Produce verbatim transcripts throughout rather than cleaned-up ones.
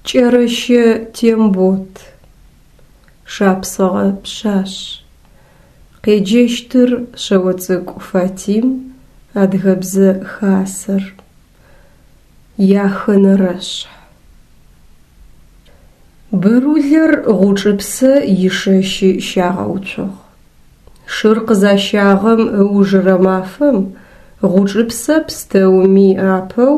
Кӏэрэщэ Тембот. Шапсыгъэ пшъашъ. Къеджэщтыр Шъэоцӏыкӏу Фатим, Адыгэбзэ Хасэр. Яхэнэрэшъхь. Бырулэр Гъучӏыпсэ ишэщы щагъэуцугъ. Шыр къызащагъэм ыужырэ мафэм Гъучӏыпсэ пстэуми апэу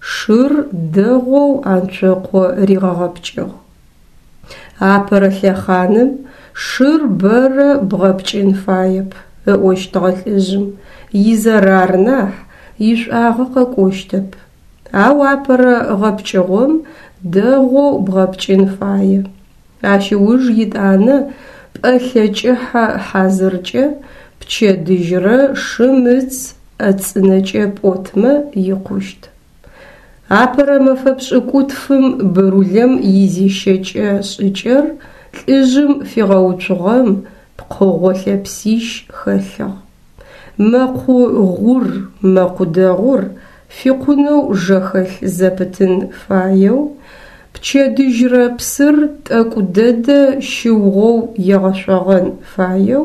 шыр дэгъоу Анцокъо ригъэгъэпкӏыгъ. Апэрэ лъэхъаным шыр бэрэ бгъэпкӏын фаеп, ыӏощтыгъэ лӏыжъым, изэрар нахь, ишӏуагъэ къэкӏощтэп. Ау апэрэ гъэпкӏыгъом дэгъоу бгъэпкӏын фае. Ащ ыуж етӏанэ пӏэлъэ кӏыхьэ хьазыркӏэ пчэдыжьрэ шым ыц ӏэ цӏынэкӏэ пӏотмэ икъущт. Апэрэ мэфэ пшӏыкӏутфым бырулэм изещэкӏэ шӏыкӏэр лӏыжъым фигъэуцугъэм пкъыгъо лъэпсищ хэлъыгъ. Мэкъу гъур, мэкъу дэгъур фикъунэу жэхэлъ зэпытын фаеу, пчэдыжьрэ псыр тӏэкӏу дэдэ щыугъэу егъэшъогъэн фаеу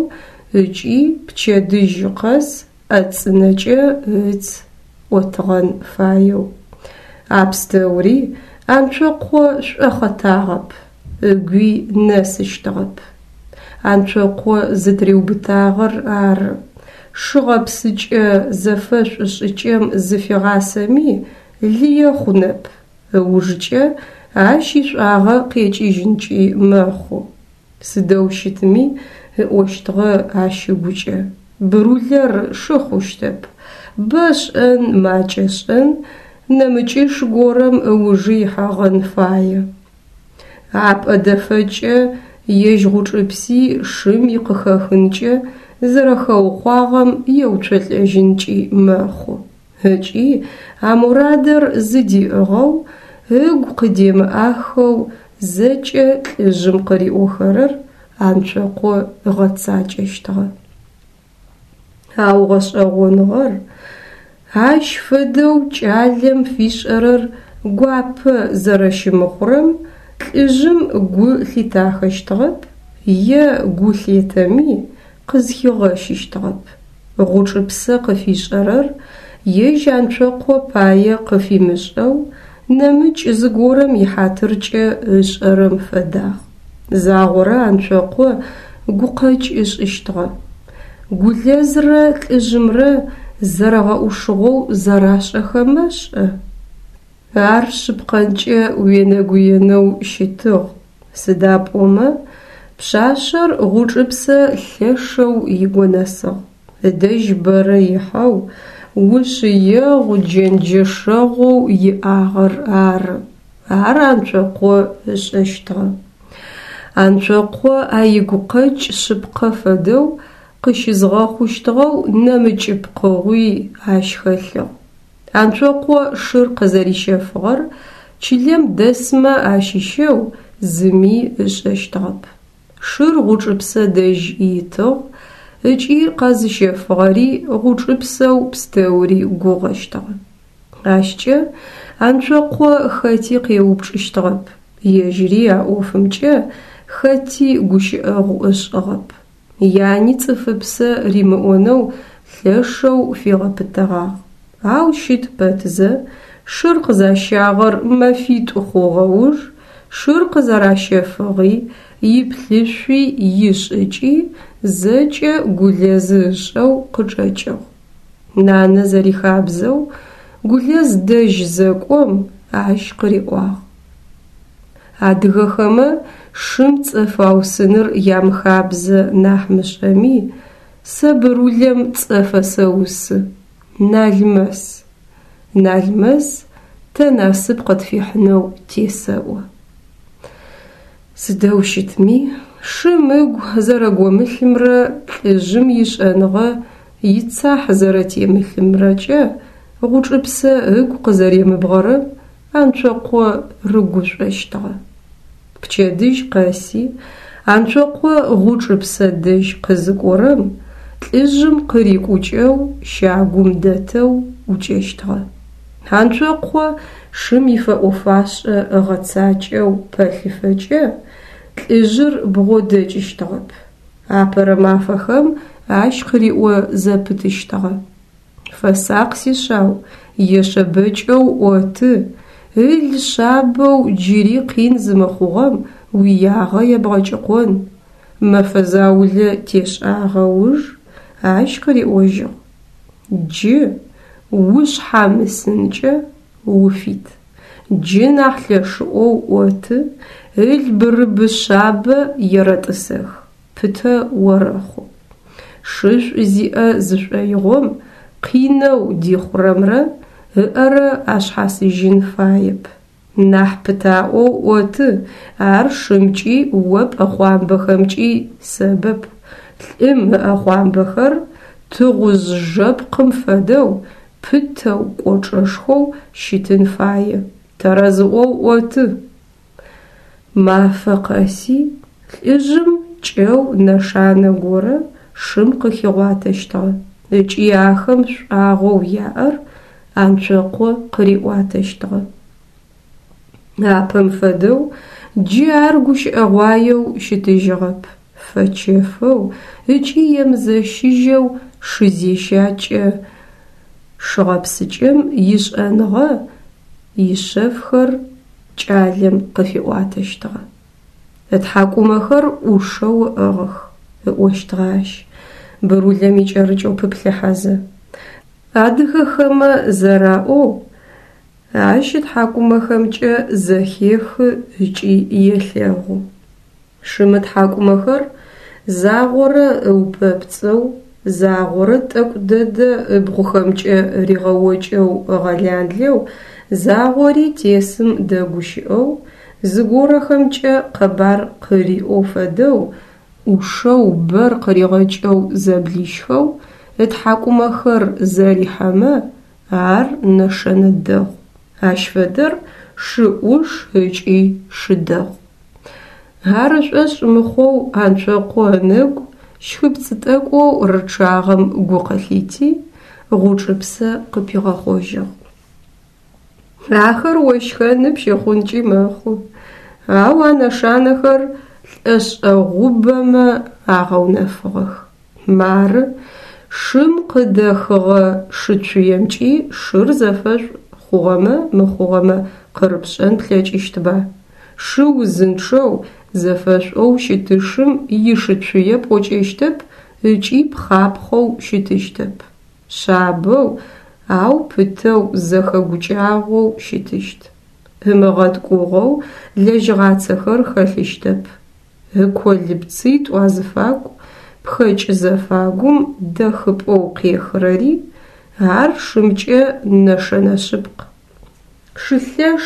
ыкӏи пчэдыжь къэс ӏэ цӏынэкӏэ ыц ӏотыгъэн фаеу. А пстэури Анцокъо шӏохъэтагъэп, ыгуи нэсыщтыгъэп. Анцокъо зытыриубытагъэр ары. Шы гъэпсыкӏэ зэфэшӏу шӏыкӏэм зыфигъасэми лые хъунэп, ыужкӏэ ащ ишӏуагъэ къекӏыжьынкӏи мэхъу. Сыдэу щытми, ыӏощтыгъэ ащ ыгукӏэ, бырулэр шы хъущтэп, бэ шӏэн, макӏэ шӏэн, нэмыкӏыш горэм ыужы ихьэгъэн фае. Апӏэ дэфэкӏэ ежь Гъучӏыпси шым икъыхэхынкӏэ зэрэхэукъуагъэм еуцолӏэжьынкӏи мэхъу. Ыкӏи а мурадыр зыдиӏыгъэу, ыгу къыдемыӏахэу зэкӏэ лӏыжъым къыриӏохэрэр Анцокъо ыгъэцакӏэщтыгъэ. Ау гъэшӏэгъоныгъэр ащ фэдэу кӏалэм фишӏэрэр гуапэ зэрэщымыхъурэм лӏыжъым гу лъитахэщтыгъэп е гу лъетэми къызхигъэщыщтыгъэп. Гъучӏыпсэ къыфишӏэрэр ежь Анцокъо пае къыфимышӏэу, нэмыкӏ зыгорэм ихьатыркӏэ ышӏэрэм фэдагъ. Загъорэ Анцокъо гукъэкӏ ышӏыщтыгъэ. Гулэзрэ лӏыжъымрэ зэрэгъэӏушыгъэу зэрашӏэхэмэ шӏэ? Ар шъыпкъэнкӏэ уенэгуенэу щытыгъ, сыда пӏомэ пшъашъэр Гъучӏыпсэ лъэшэу игонэсыгъ, ыдэжь бэрэ ихьэу, ушъыегъу-джэнджэшэгъоу иӏагъэр ары. Ар Анцокъо ышӏэщтыгъэ. Анцокъо а игукъэкӏ шъыпкъэ фэдэу къыщызгъэхъущтыгъэу нэмыкӏ пкъыгъуи ащ хэлъыгъ. Анцокъо шыр къызэрищэфыгъэр чылэм дэсмэ ащыщэу зыми ышӏэщтыгъэп. Шыр Гъучӏыпсэ дэжь итыгъ ыкӏи къэзыщэфыгъэри Гъучӏыпсэу пстэури гугъэщтыгъэ. Ащкӏэ Анцокъо хэти къеупчӏыщтыгъэп, ежьыри а ӏофымкӏэ хэти гущыӏэгъу ышӏыгъэп. Яни цӏыфыпсэ римыӏонэу лъэшэу фигъэпытэгъагъ. Ау щыт пэтзэ, шыр къызащагъэр мэфитӏу хъугъэ уж, шыр къызэращэфыгъи, иплъышъуи, ишӏыкӏи зэкӏэ Гулэзы ышӏэу къычӏэкӏыгъ. Нанэ зэрихабзэу Гулэз дэжь зэкӏом, ащ къыриӏуагъ. Адыгэхэмэ шым цӏэ фаусыныр ямыхабзэ нахь мышӏэми, сэ бырулэм цӏэ фэсэусы: Налмэс. Налмэс тэ насып къытфихьынэу тесэӏо. Сыдэу щытми, шым ыгу зэрэгомылъымрэ лӏыжъым ишӏэныгъэ ицахь зэрэтемылъымрэкӏэ Гъучӏыпсэ ыгу къызэремыбгъэрэм Анцокъо рыгушӏощтыгъэ. Пчэдыжь къэси Анцокъо Гъучӏыпсэ дэжь къызыкӏорэм, лӏыжъым къырикӏукӏэу щагум дэтэу ӏукӏэщтыгъэ. Анцокъо шым ифэӏо-фашӏэ ыгъэцакӏэу пэлъыфэкӏэ лӏыжъыр бгъодэкӏыщтыгъэп. Апэрэ мафэхэм ащ къыриӏо зэпытыщтыгъэ: «Фэсакъ, сишъау, ешъэбэкӏэу ӏоты, ыл шъабэу джыри къин зымыхъугъэм уиягъэ ебгъэкӏыкъон». Мэфэ заулэ тешӏагъэ уж ащ къыриӏожьыгъ: «Джы ушъхьамысынкӏэ уфит, джы нахь лъэшыӏоу ӏоты, ыл бырыбы шъабэ ерэтӏысэх, пытэ орэхъу». Шышӏу зиӏэ зышӏоигъом къинэу дихъурэмрэ ыӏэрэ ашъхьасыжьын фаеп. Нахь пытаӏоу ӏоты, ар шымкӏи о пӏэхъуамбэхэмкӏи сэбэп. Лӏым ыӏэхъуамбэхэр тыгъужъ жэпкъым фэдэу пытэу, кӏочӏэшхоу щытын фае. Тэрэзыӏоу ӏоты. Мафэ къэси лӏыжъым кӏэу нэшанэ горэ шым къыхигъуатэщтыгъэ ыкӏи ахэм шӏуагъэу яӏэр Анцокъо къыриӏуатэщтыгъэ. Апэм фэдэу джы ар гущыӏэгъуаеу щытыжьыгъэп, фэчэфэу ыкӏи емызэщыжьэу шы зещакӏэ шыгъэпсыкӏэм ишӏэныгъэ ишъэфхэр кӏалэм къыфиӏуатэщтыгъэ. «Ытхьакӏумэхэр ӏушэу ыӏыгъых», ыӏощтыгъэ ащ, бырулэм икӏэрыкӏэу пыплъыхьэзэ. Адыгэхэмэ зэраӏоу, ащ ытхьакӏумэхэмкӏэ зэхехы ыкӏи елъэгъу. Шым ытхьакӏумэхэр загъорэ ыупэпцӏэу, загъорэ тӏэкӏу дэдэ ыбгъухэмкӏэ ригъэокӏэу ыгъэланлэу, загъори тесым дэгущыӏэу, зыгорэхэмкӏэ къэбар къыриӏоу фэдэу, ӏушэу бэр къыригъэкӏэу зэблищхэу ытхьакӏумэхэр зэрихьэмэ, ар нэшэнэ дэгъу. Ащ фэдэр шы ӏуш ыкӏи шы дэгъу. Ар ышӏошъ мыхъоу Анцокъо ынэгу щхыпцӏ тӏэкӏоу рычъагъэм гу къылъити, Гъучӏыпсэ къыпигъэхъожьыгъ. Ахэр ощхэны пщыхъункӏи мэхъу, ау а нэшанэхэр лӏэшӏэгъубэмэ агъэунэфыгъэх. Мары, шым къыдэхыгъэ шыцуемкӏи шыр зэфэшӏу хъугъэмэ мыхъугъэмэ къырыпшӏэн плъэкӏыщтба. Шы узынчъэу, зэфэшӏоу щытышым ишыцуе пӏокӏэщтэп ыкӏи пхъапхъэу щытыщтэп. Шъабэу, ау пытэу зэхэгукӏагъэу щытыщт. Ымыгъэткӏугъэу лэжьыгъацэхэр хэлъыщтэп. Ыко лыпцитӏу азыфагу, пхэкӏ зэфагум дэхыпӏэу къехырэри, ар шымкӏэ нэшэнэ шъыпкъ. Шы лъэш,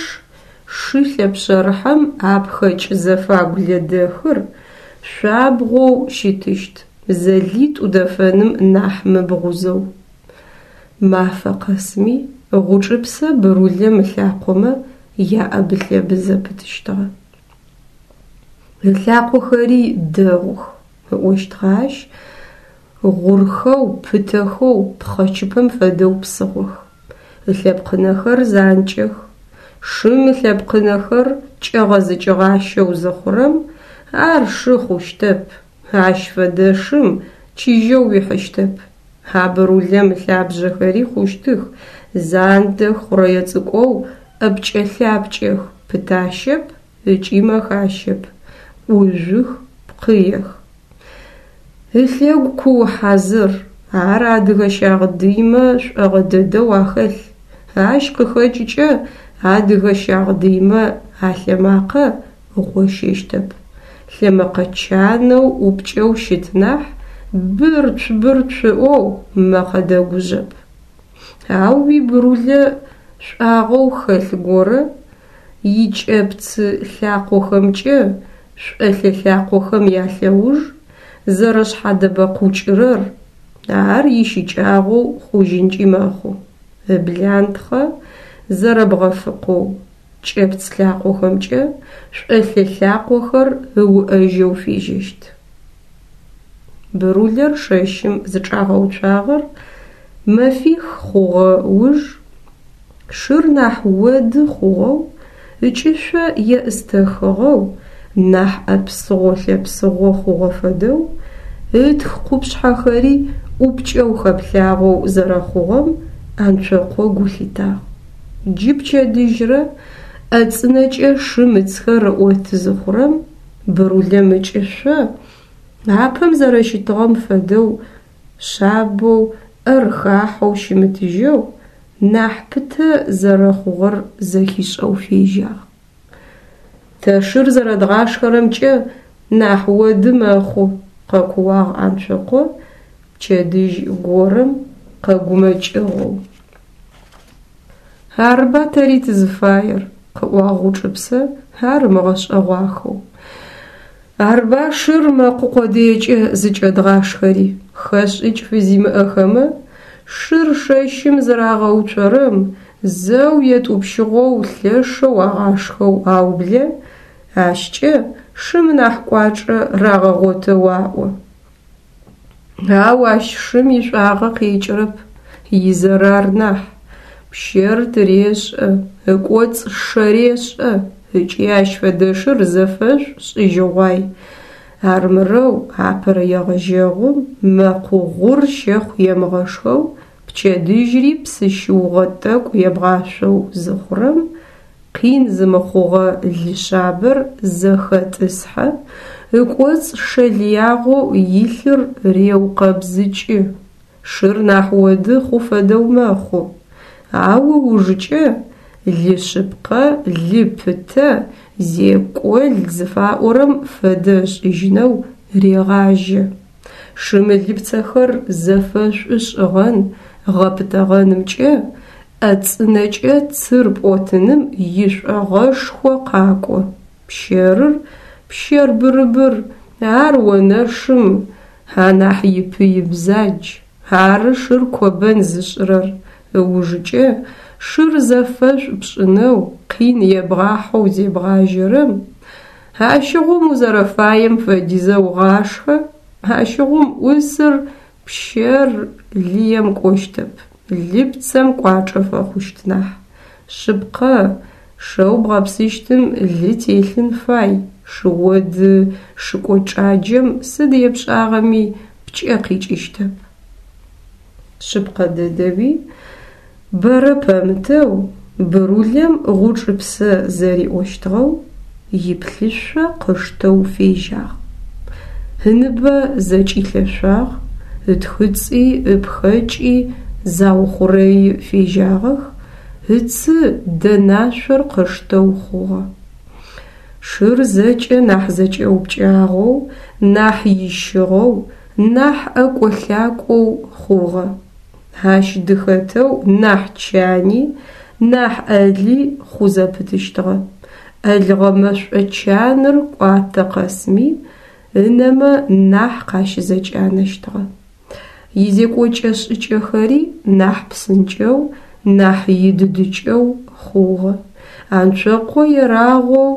шы лъэпшъэрыхьэм а пхэкӏ зэфагу лэдэхыр шъуабгъоу щытыщт, зэлитӏу дэфэным нахь мыбгъузэу. Мафэ къэсми Гъучӏыпсэ бырулэм ылъакъомэ яӏэбы-лъэбы зэпытыщтыгъэ. Ылъакъохэри дэгъух, ыӏощтыгъэ ащ, гъурхэу, пытэхэу, пхъэчыпэм фэдэу псыгъох. Ылъэпкъынэхэр занкӏэх. Шым ылъэпкъынэхэр кӏэгъэзыкӏыгъащэу зыхъурэм, ар шы хъущтэп, ащ фэдэ шым чыжьэу уихьыщтэп. А бырулэм ылъабжъэхэри хъущтых, зандэх, хъурэе цӏыкӏоу, ӏэпкӏэ-лъапкӏэх, пытащэп ыкӏи мэхащэп, ӏужъух, пкъыех. Ылъэгу куу хьазыр, ар адыгэ щагъдыймэ шӏогъэ дэдэу ахэлъ. Ащ къыхэкӏыкӏэ адыгэ щагъдыймэ алъэмакъэ гъощэщтэп. Лъэмэкъэ чанэу ӏупкӏэу щыт нахь, бырцу-бырцу ыӏоу мэкъэ дэгужъэп. Ау уибырулэ шӏуагъэу хэлъ горэ икӏэпцы лъакъохэмкӏэ шӏолъэ лъакъохэм ялъэуж зэрэшъхьадэбэкъукӏырэр, ар ищыкӏагъэу хъужьынкӏи мэхъу. Ыблантхъэ зэрэбгъэфыкъоу, кӏэпц лъакъохэмкӏэ шӏолъэ лъакъохэр ыуӏэжьэу фежьэщт. Бырулэр шэщым зычӏагъэуцуагъэр мэфих хъугъэ уж Шыр нахь оды хъугъэу, ыкӏышъо еӏыстэхыгъэу, нахь ӏэпсыгъо-лъэпсыгъо хъугъэ фэдэу, ытх къупшъхьэхэри ӏупкӏэу хэплъагъоу зэрэхъугъэм Анцокъо гу лъитагъ. Джы пчэдыжьрэ ӏэ цӏынэкӏэ шым ыцхэр ыӏоты зыхъурэм, Бырулэм ыкӏышъо апэм зэрэщытыгъэм фэдэу шъабэу, ӏэр хахьэу щымытыжьэу, нахь пытэ зэрэхъугъэр зэхишӏэу фежьагъ. Тэ шыр зэрэдгъашхэрэмкӏэ нахь оды мэхъу, къэкууагъ Анцокъо пчэдыжь горэм къэгумэкӏыгъэу. Арыба тэри тызыфаер, къыӏуагъ Гъучӏыпсэ ар ымыгъэшӏэгъуахэу. Арба шыр мэкъу къодыекӏэ зыкӏэдгъашхэри, хэшӏыкӏ фызимыӏэхэмэ шыр шэщым зырагъэуцорэм зэу етӏупщыгъэу лъэшэу агъашхэу аублэ, ащкӏэ шым нахь кӏуачӏэ рагъэгъотэу аӏо. Ау ащ шым ишӏуагъэ къекӏырэп, изэрар нахь. Пщэр тырешӏэ, ыкӏоцӏ шэ решӏэ ыкӏи ащ фэдэ шыр зэфэшӏу шӏыжьыгъуай. Армырэу апэрэ егъэжьэгъум мэкъу гъур щэхъу емыгъэшхэу пчэдыжьри псы щыугъэ тӏэкӏу ебгъашъоу зыхъурэм, къин зымыхъугъэ лы шъабэр зэхэтӏысхьэ, ыкӏоцӏ шэ лыягъэу илъыр реукъэбзыкӏы, шыр нахь оды хъу фэдэу мэхъу. Ау ыужыкӏэ лы шъыпкъэ, лы пытэ, зекӏол зыфаӏорэм фэдэ ышӏыжьынэу регъажьэ. Шым ылыпцэхэр зэфэшӏу шӏыгъэн, гъэпытэгъэнымкӏэ ӏэ цӏынэкӏэ цыр пӏотыным ишӏогъэшхо къакӏо. Пщэрыр, пщэр бырыбыр, ар онэшым анахь ипый бзадж, ары шыр кобэн зышӏырэр. Ыужыкӏэ шыр зэфэшӏу пшӏынэу къин ебгъахьэу зебгъажьэрэм, ащыгъум узэрэфаем фэдизэу гъашхэ, ащыгъум ӏусыр пщэр лыем кӏощтэп, лыпцэм кӏуачӏэ фэхъущт нахь. Шъыпкъэ, шэу бгъэпсыщтым лы телъын фай, шы оды шы кӏочӏаджэм сыд епшӏагъэми пкӏэ къикӏыщтэп. Шъыпкъэ дэдэуи бэрэ пэмытэу Бырулэм Гъучӏыпсэ зэриӏощтыгъэу иплъышъо къыштэу фежьагъ. Ыныбэ зэкӏилъэшъуагъ, ытхыцӏи ыпхэкӏи заухъурэи фежьагъэх, ыцы дэнашъор къыштэу хъугъэ. Шыр зэкӏэ нахь зэкӏэупкӏагъэу, нахь ищыгъэу, нахь ӏэкӏо-лъакӏоу хъугъэ. Ащ дыхэтэу нахь чани, нахь ӏэли хъу зэпытыщтыгъэ. ӏэлыгъэ мэшӏо чаныр кӏуатэ къэсми ынэмэ нахь къащызэкӏанэщтыгъэ. Изекӏокӏэ-шӏыкӏэхэри нахь псынкӏэу, нахь идыдыкӏэу хъугъэ. Анцокъо ерагъоу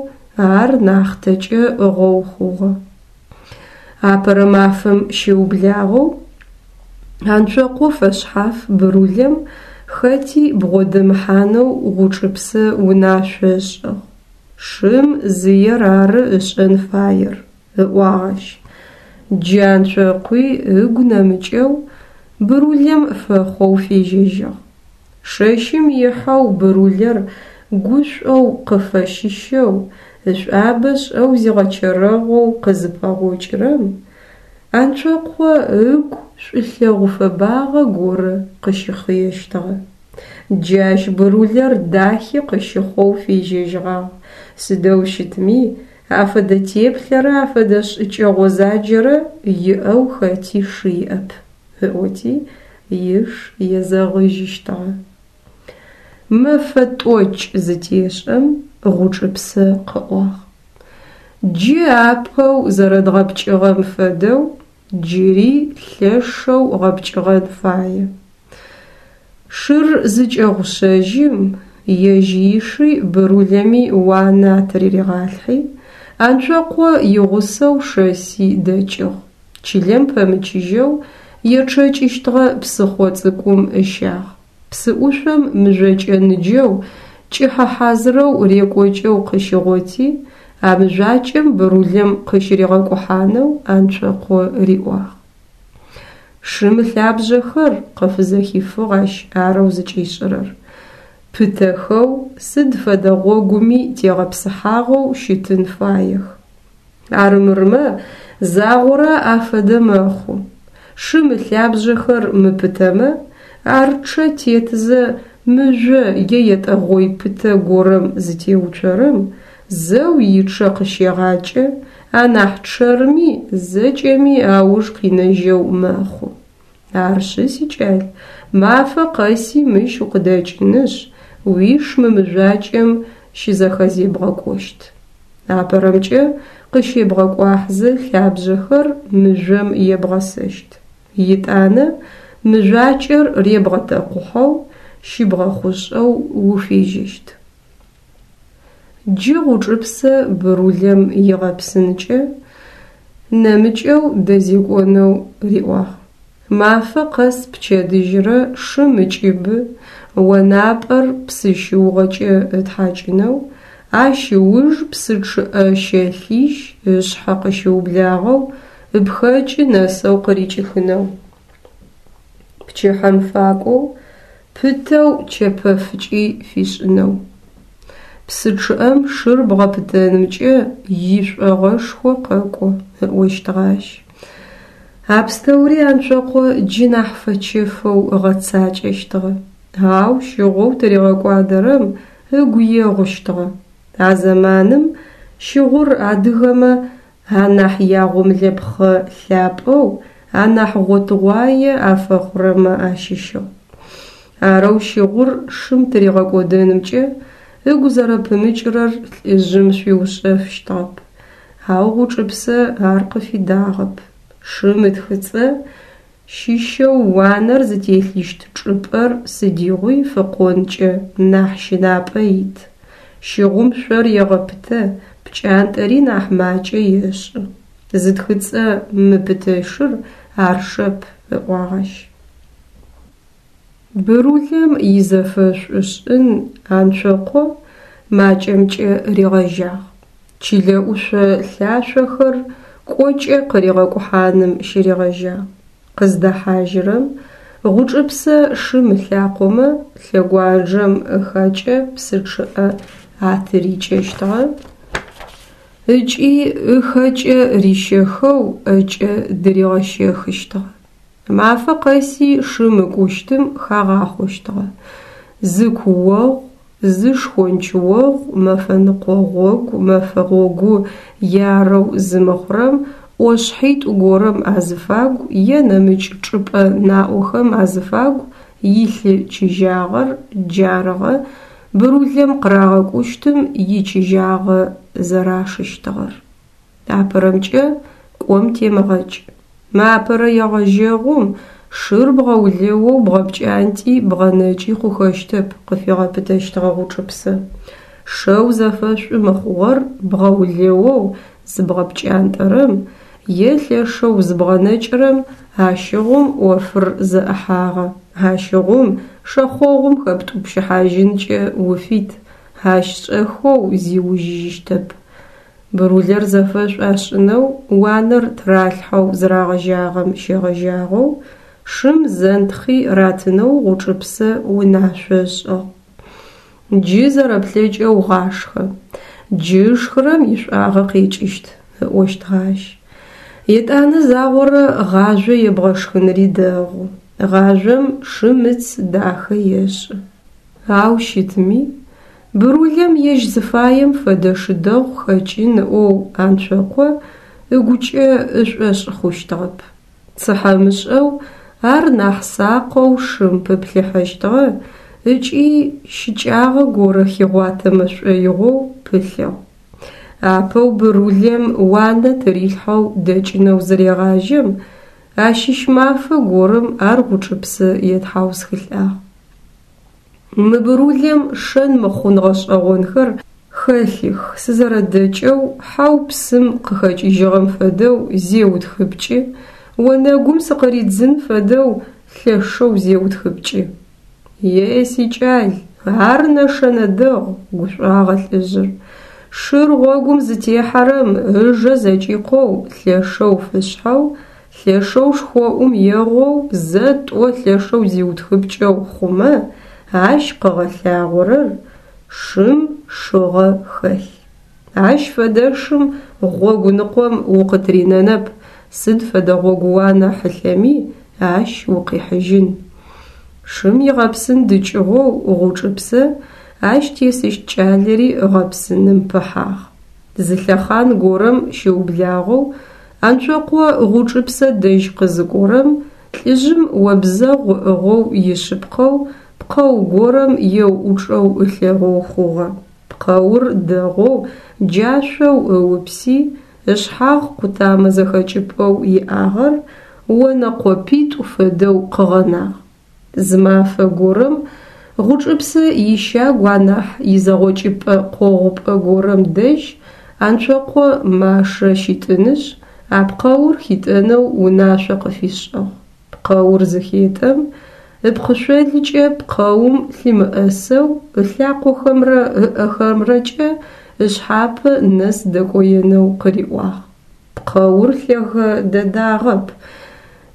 ар нахътэкӏэ ыӏыгъэу хъугъэ. Апэрэ мафэм щыублагъэу Анцокъо фэшъхьаф Бырулэм хэти бгъодэмыхьанэу Гъучӏыпсэ унашъо ышӏыгъ. Шым зыер ары ышӏэн фаер, ыӏуагъ ащ. Джы Анцокъуи ыгу нэмыкӏэу Бырулэм фэхъоу фежьэжьыгъ. Шэщым ихьэу Бырулэр гушӏоу къыфэщыщэу, ышӏуабэ шӏэу зигъэчэрэгъоу къызыпэгъокӏырэм, Анцокъо ыгу шӏулъэгъу фэбагъэ горэ къыщыхъыещтыгъэ. Джы ащ Бырулэр дахи къыщыхъоу фежьэжьыгъагъ, сыдэу щытми афэдэ теплъэрэ афэдэ шӏыкӏэ гъозаджэрэ иӏэу хэти шы иӏэп, ыӏоти иш езэгъыжьыщтыгъэ. Мэфэ тӏокӏ зытешӏэм Гъучӏыпсэ къыӏуагъ: Джы апэу зэрэдгъэпкӏыгъэм фэдэу джыри лъэшэу гъэпкӏыгъэн фае. Шыр зыкӏэгъушъэжьым, ежь иши Бырулэми уанэ атырыригъалъхьи, Анцокъо игъусэу шэси дэкӏыгъ. Чылэм пэмычыжьэу ечъэкӏыщтыгъэ псыхъо цӏыкӏум ыщагъ. Псыӏушъом мыжъокӏэ ныджэу кӏыхьэ хьазырэу рекӏокӏэу къыщигъоти, а мыжъуакӏэм брулэм къыщыригъэкӏухьанэу Анцокъо риӏуагъ. Шым ылъабжъэхэр, къыфызэхифыгъ ащ арэу зыкӏишӏырэр, пытэхэу, сыд фэдэ гъогуми тегъэпсыхьагъэу щытын фаех. Арымырмэ, загъорэ афэдэ мэхъу. Шым ылъабжъэхэр мыпытэмэ, ар чъэ тетзэ мыжъо е етӏэгъой пытэ горэм зытеуцорэм, зэу ичъэ къыщегъакӏэ, анахь чъэрми зэкӏэми ауж къинэжьэу мэхъу. Арышъы, сикӏал, мафэ къэси мыщ укъыдэкӏынышъ, уиш мы мыжъуакӏэм щызэхэзебгъэкӏощт. Апэрэмкӏэ къыщебгъэкӏуахьзэ лъабжъэхэр мыжъом ебгъэсэщт. Етӏанэ мыжъуакӏэр ребгъэтэкъухьэу, щыбгъэхъушӏэу уфежьэщт. Джы Гъучӏыпсэ брулэм игъэпсынкӏэ нэмыкӏэу дэзекӏонэу риӏуагъ. Мафэ къэс пчэдыжьрэ шым ыкӏыбы, онапӏэр псы щыугъэкӏэ ытхьакӏынэу, ащ ыуж псы чъыӏэ щэлъищ ышъхьэ къыщыублагъэу ыпхэкӏы нэсэу къырикӏыхынэу. Пчыхьэм факӏоу пытэу чэпэфыкӏи фишӏынэу. Псы чъыӏэм шыр бгъэпытэнымкӏэ ишӏогъэшхо къэкӏо, ыӏощтыгъэ ащ. А пстэури Анцокъо джы нахь фэчэфэу ыгъэцакӏэщтыгъэ, ау щыгъоу тыригъэкӏуадэрэм ыгу егъущтыгъэ. А зэманым щыгъур адыгэмэ анахь ягъомлэпхъэ лъапӏэу, анахь гъотыгъуае афэхъурэмэ ащыщыгъ. Арэу щыгъур шым тыригъэкӏодэнымкӏэ ыгу зэрэпымыкӏырэр лӏыжъым шӏуиушъэфыщтыгъэп, ау Гъучӏыпсэ ар къыфидагъэп. Шым ытхыцӏэ щыщэу уанэр зытелъыщт чӏыпӏэр сыдигъуи фыкъонкӏэ нахь щынапӏэ ит. Щыгъум шъор егъэпытэ, пкӏантӏэри нахь макӏэ ешӏы. Зытхыцӏэ мыпытэшыр ар шэп, ыӏуагъ ащ. Брулэм изэфэшӏу шӏын Анцокъо макӏэмкӏэ ригъэжьагъ. Чылэ ӏушъо лъашъохэр кӏокӏэ къыригъэкӏухьаным щыригъэжьагъ. Къыздэхьажьырэм Гъучӏыпсэ шым ылъакъомэ лъэгуанджэм ыхакӏэ псы чъыӏэ атырикӏэщтыгъэ ыкӏи ыхэкӏэ рищэхэу ӏэкӏэ дыригъэщэхыщтыгъэ. Мафэ къэси шым ыкӏущтым хагъахъощтыгъэ. Зы куогъу, зы шхончыогъу мэфэныкъо гъогу мэфэ гъогу ярэу зымыхъурэм ӏошъхьитӏу горэм азыфагу е нэмыкӏ чӏыпӏэ наӏохэм азыфагу илъы чыжьагъэр джарыгъэ брулэм къырагъэкӏущтым ичыжьагъэ зэрашыщтыгъэр. Апэрэмкӏэ кӏом темыгъэкӏ. Мы апэрэ егъэжьэгъум шыр бгъэулэоу бгъэпкӏантӏи бгъэнэкӏи хъухэщтэп, къыфигъэпытэщтыгъэ Гъучӏыпсэ. Шэу зэфэшӏу мыхъугъэр бгъэулэоу зыбгъэпкӏантӏэрэм е лъэшэу зыбгъэнэкӏырэм ащыгъум ӏофыр зэӏыхьагъэ, ащыгъум шэхъогъум хэптӏупщыхьажьынкӏэ уфит, ащ шӏэхэу зиужьыжьыщтэп. Брулэр зэфэшӏу ашӏынэу уанэр тыралъхьэу зырагъэжьагъэм щегъэжьагъэу шым зэнтхъи ратынэу Гъучӏыпсэ унашъо ышӏыгъ. Джы зэрэплъэкӏэу гъашхэ, джы ышхырэм ишӏуагъэ къекӏыщт, ыӏощтыгъэ ащ. Етӏанэ загъорэ гъажъо ебгъэшхыныри дэгъу. Гъажъом шым ыц дахэ ешӏы. Ау щытми, брулэм ежь зыфаем фэдэ шы дэгъу хэкӏын ыӏоу Анцокъо ыгукӏэ ышӏошъ хъущтыгъэп. Цыхьэмышӏэу ар нахь сакъэу шым пыплъыхьэщтыгъэ ыкӏи щыкӏагъэ горэ хигъуатэмэ шӏоигъоу пылъыгъ. Апэу брулэм уанэ тырилъхьэу дэкӏынэу зырегъажьэм, ащыщ мафэ горэм ар Гъучӏыпсэ етхьаусхылӏагъ. Мы брулэм шэн мыхъун гъэшӏэгъонхэр хэлъых, сызэрэдэкӏэу хьэу псым къыхэкӏыжьыгъэм фэдэу зеутхыпкӏы, онэгум сыкъыридзын фэдэу лъэшэу зеутхыпкӏы. Е сикӏал, ар нэшэнэ дэгъу, гушӏуагъэ лӏыжъыр. Шыр гъогум зытехьэрэм ыжэ зэкӏикъоу лъэшэу фышъхьэу, лъэшэу шхоӏум егъоу, зэ-тӏо лъэшэу зиутхыпкӏэу хъумэ, ащ къыгъэлъагъорэр шым шыгъэ хэлъ. Ащ фэдэшым гъогу ныкъом укъытыринэнэп, сыд фэдэ гъогууанэ хьылъэми ащ укъихьыжьын. Шым игъэпсын дыкӏыгъоу Гъучӏыпсэ ащ тесыщт кӏалэри гъэпсыным пыхьагъ. Зы лъэхъан горэм щыублагъэу Анцокъо Гъучӏыпсэ дэжь къызыкӏорэм лӏыжъым обзэгъу ыӏыгъэу ишъыпкъэу пкъэу горэм еуӏучӏэу ылъэгъоу хъугъэ. Пкъэур дэгъоу джашъоу ыупси, ышъхьагъ къутамэ зэхэкӏыпӏэу иӏагъэр онэ къопитӏу фэдэу къыгъэнагъ. Зы мафэ горэм Гъучӏыпсэ ищагу анахь изэгъокӏыпӏэ къогъупӏэ горэм дэжь Анцокъо машэ щитӏынышъ, а пкъэур хитӏэнэу унашъо къыфишӏыгъ. Пкъэур зыхетӏэм, ыпкъышъолыкӏэ пкъэум лъымыӏэсэу ылъакъохэмрэ ыӏэхэмрэкӏэ ышъхьапэ нэс дэкӏоенэу къыриӏуагъ. Пкъэур лъэгэ дэдагъэп,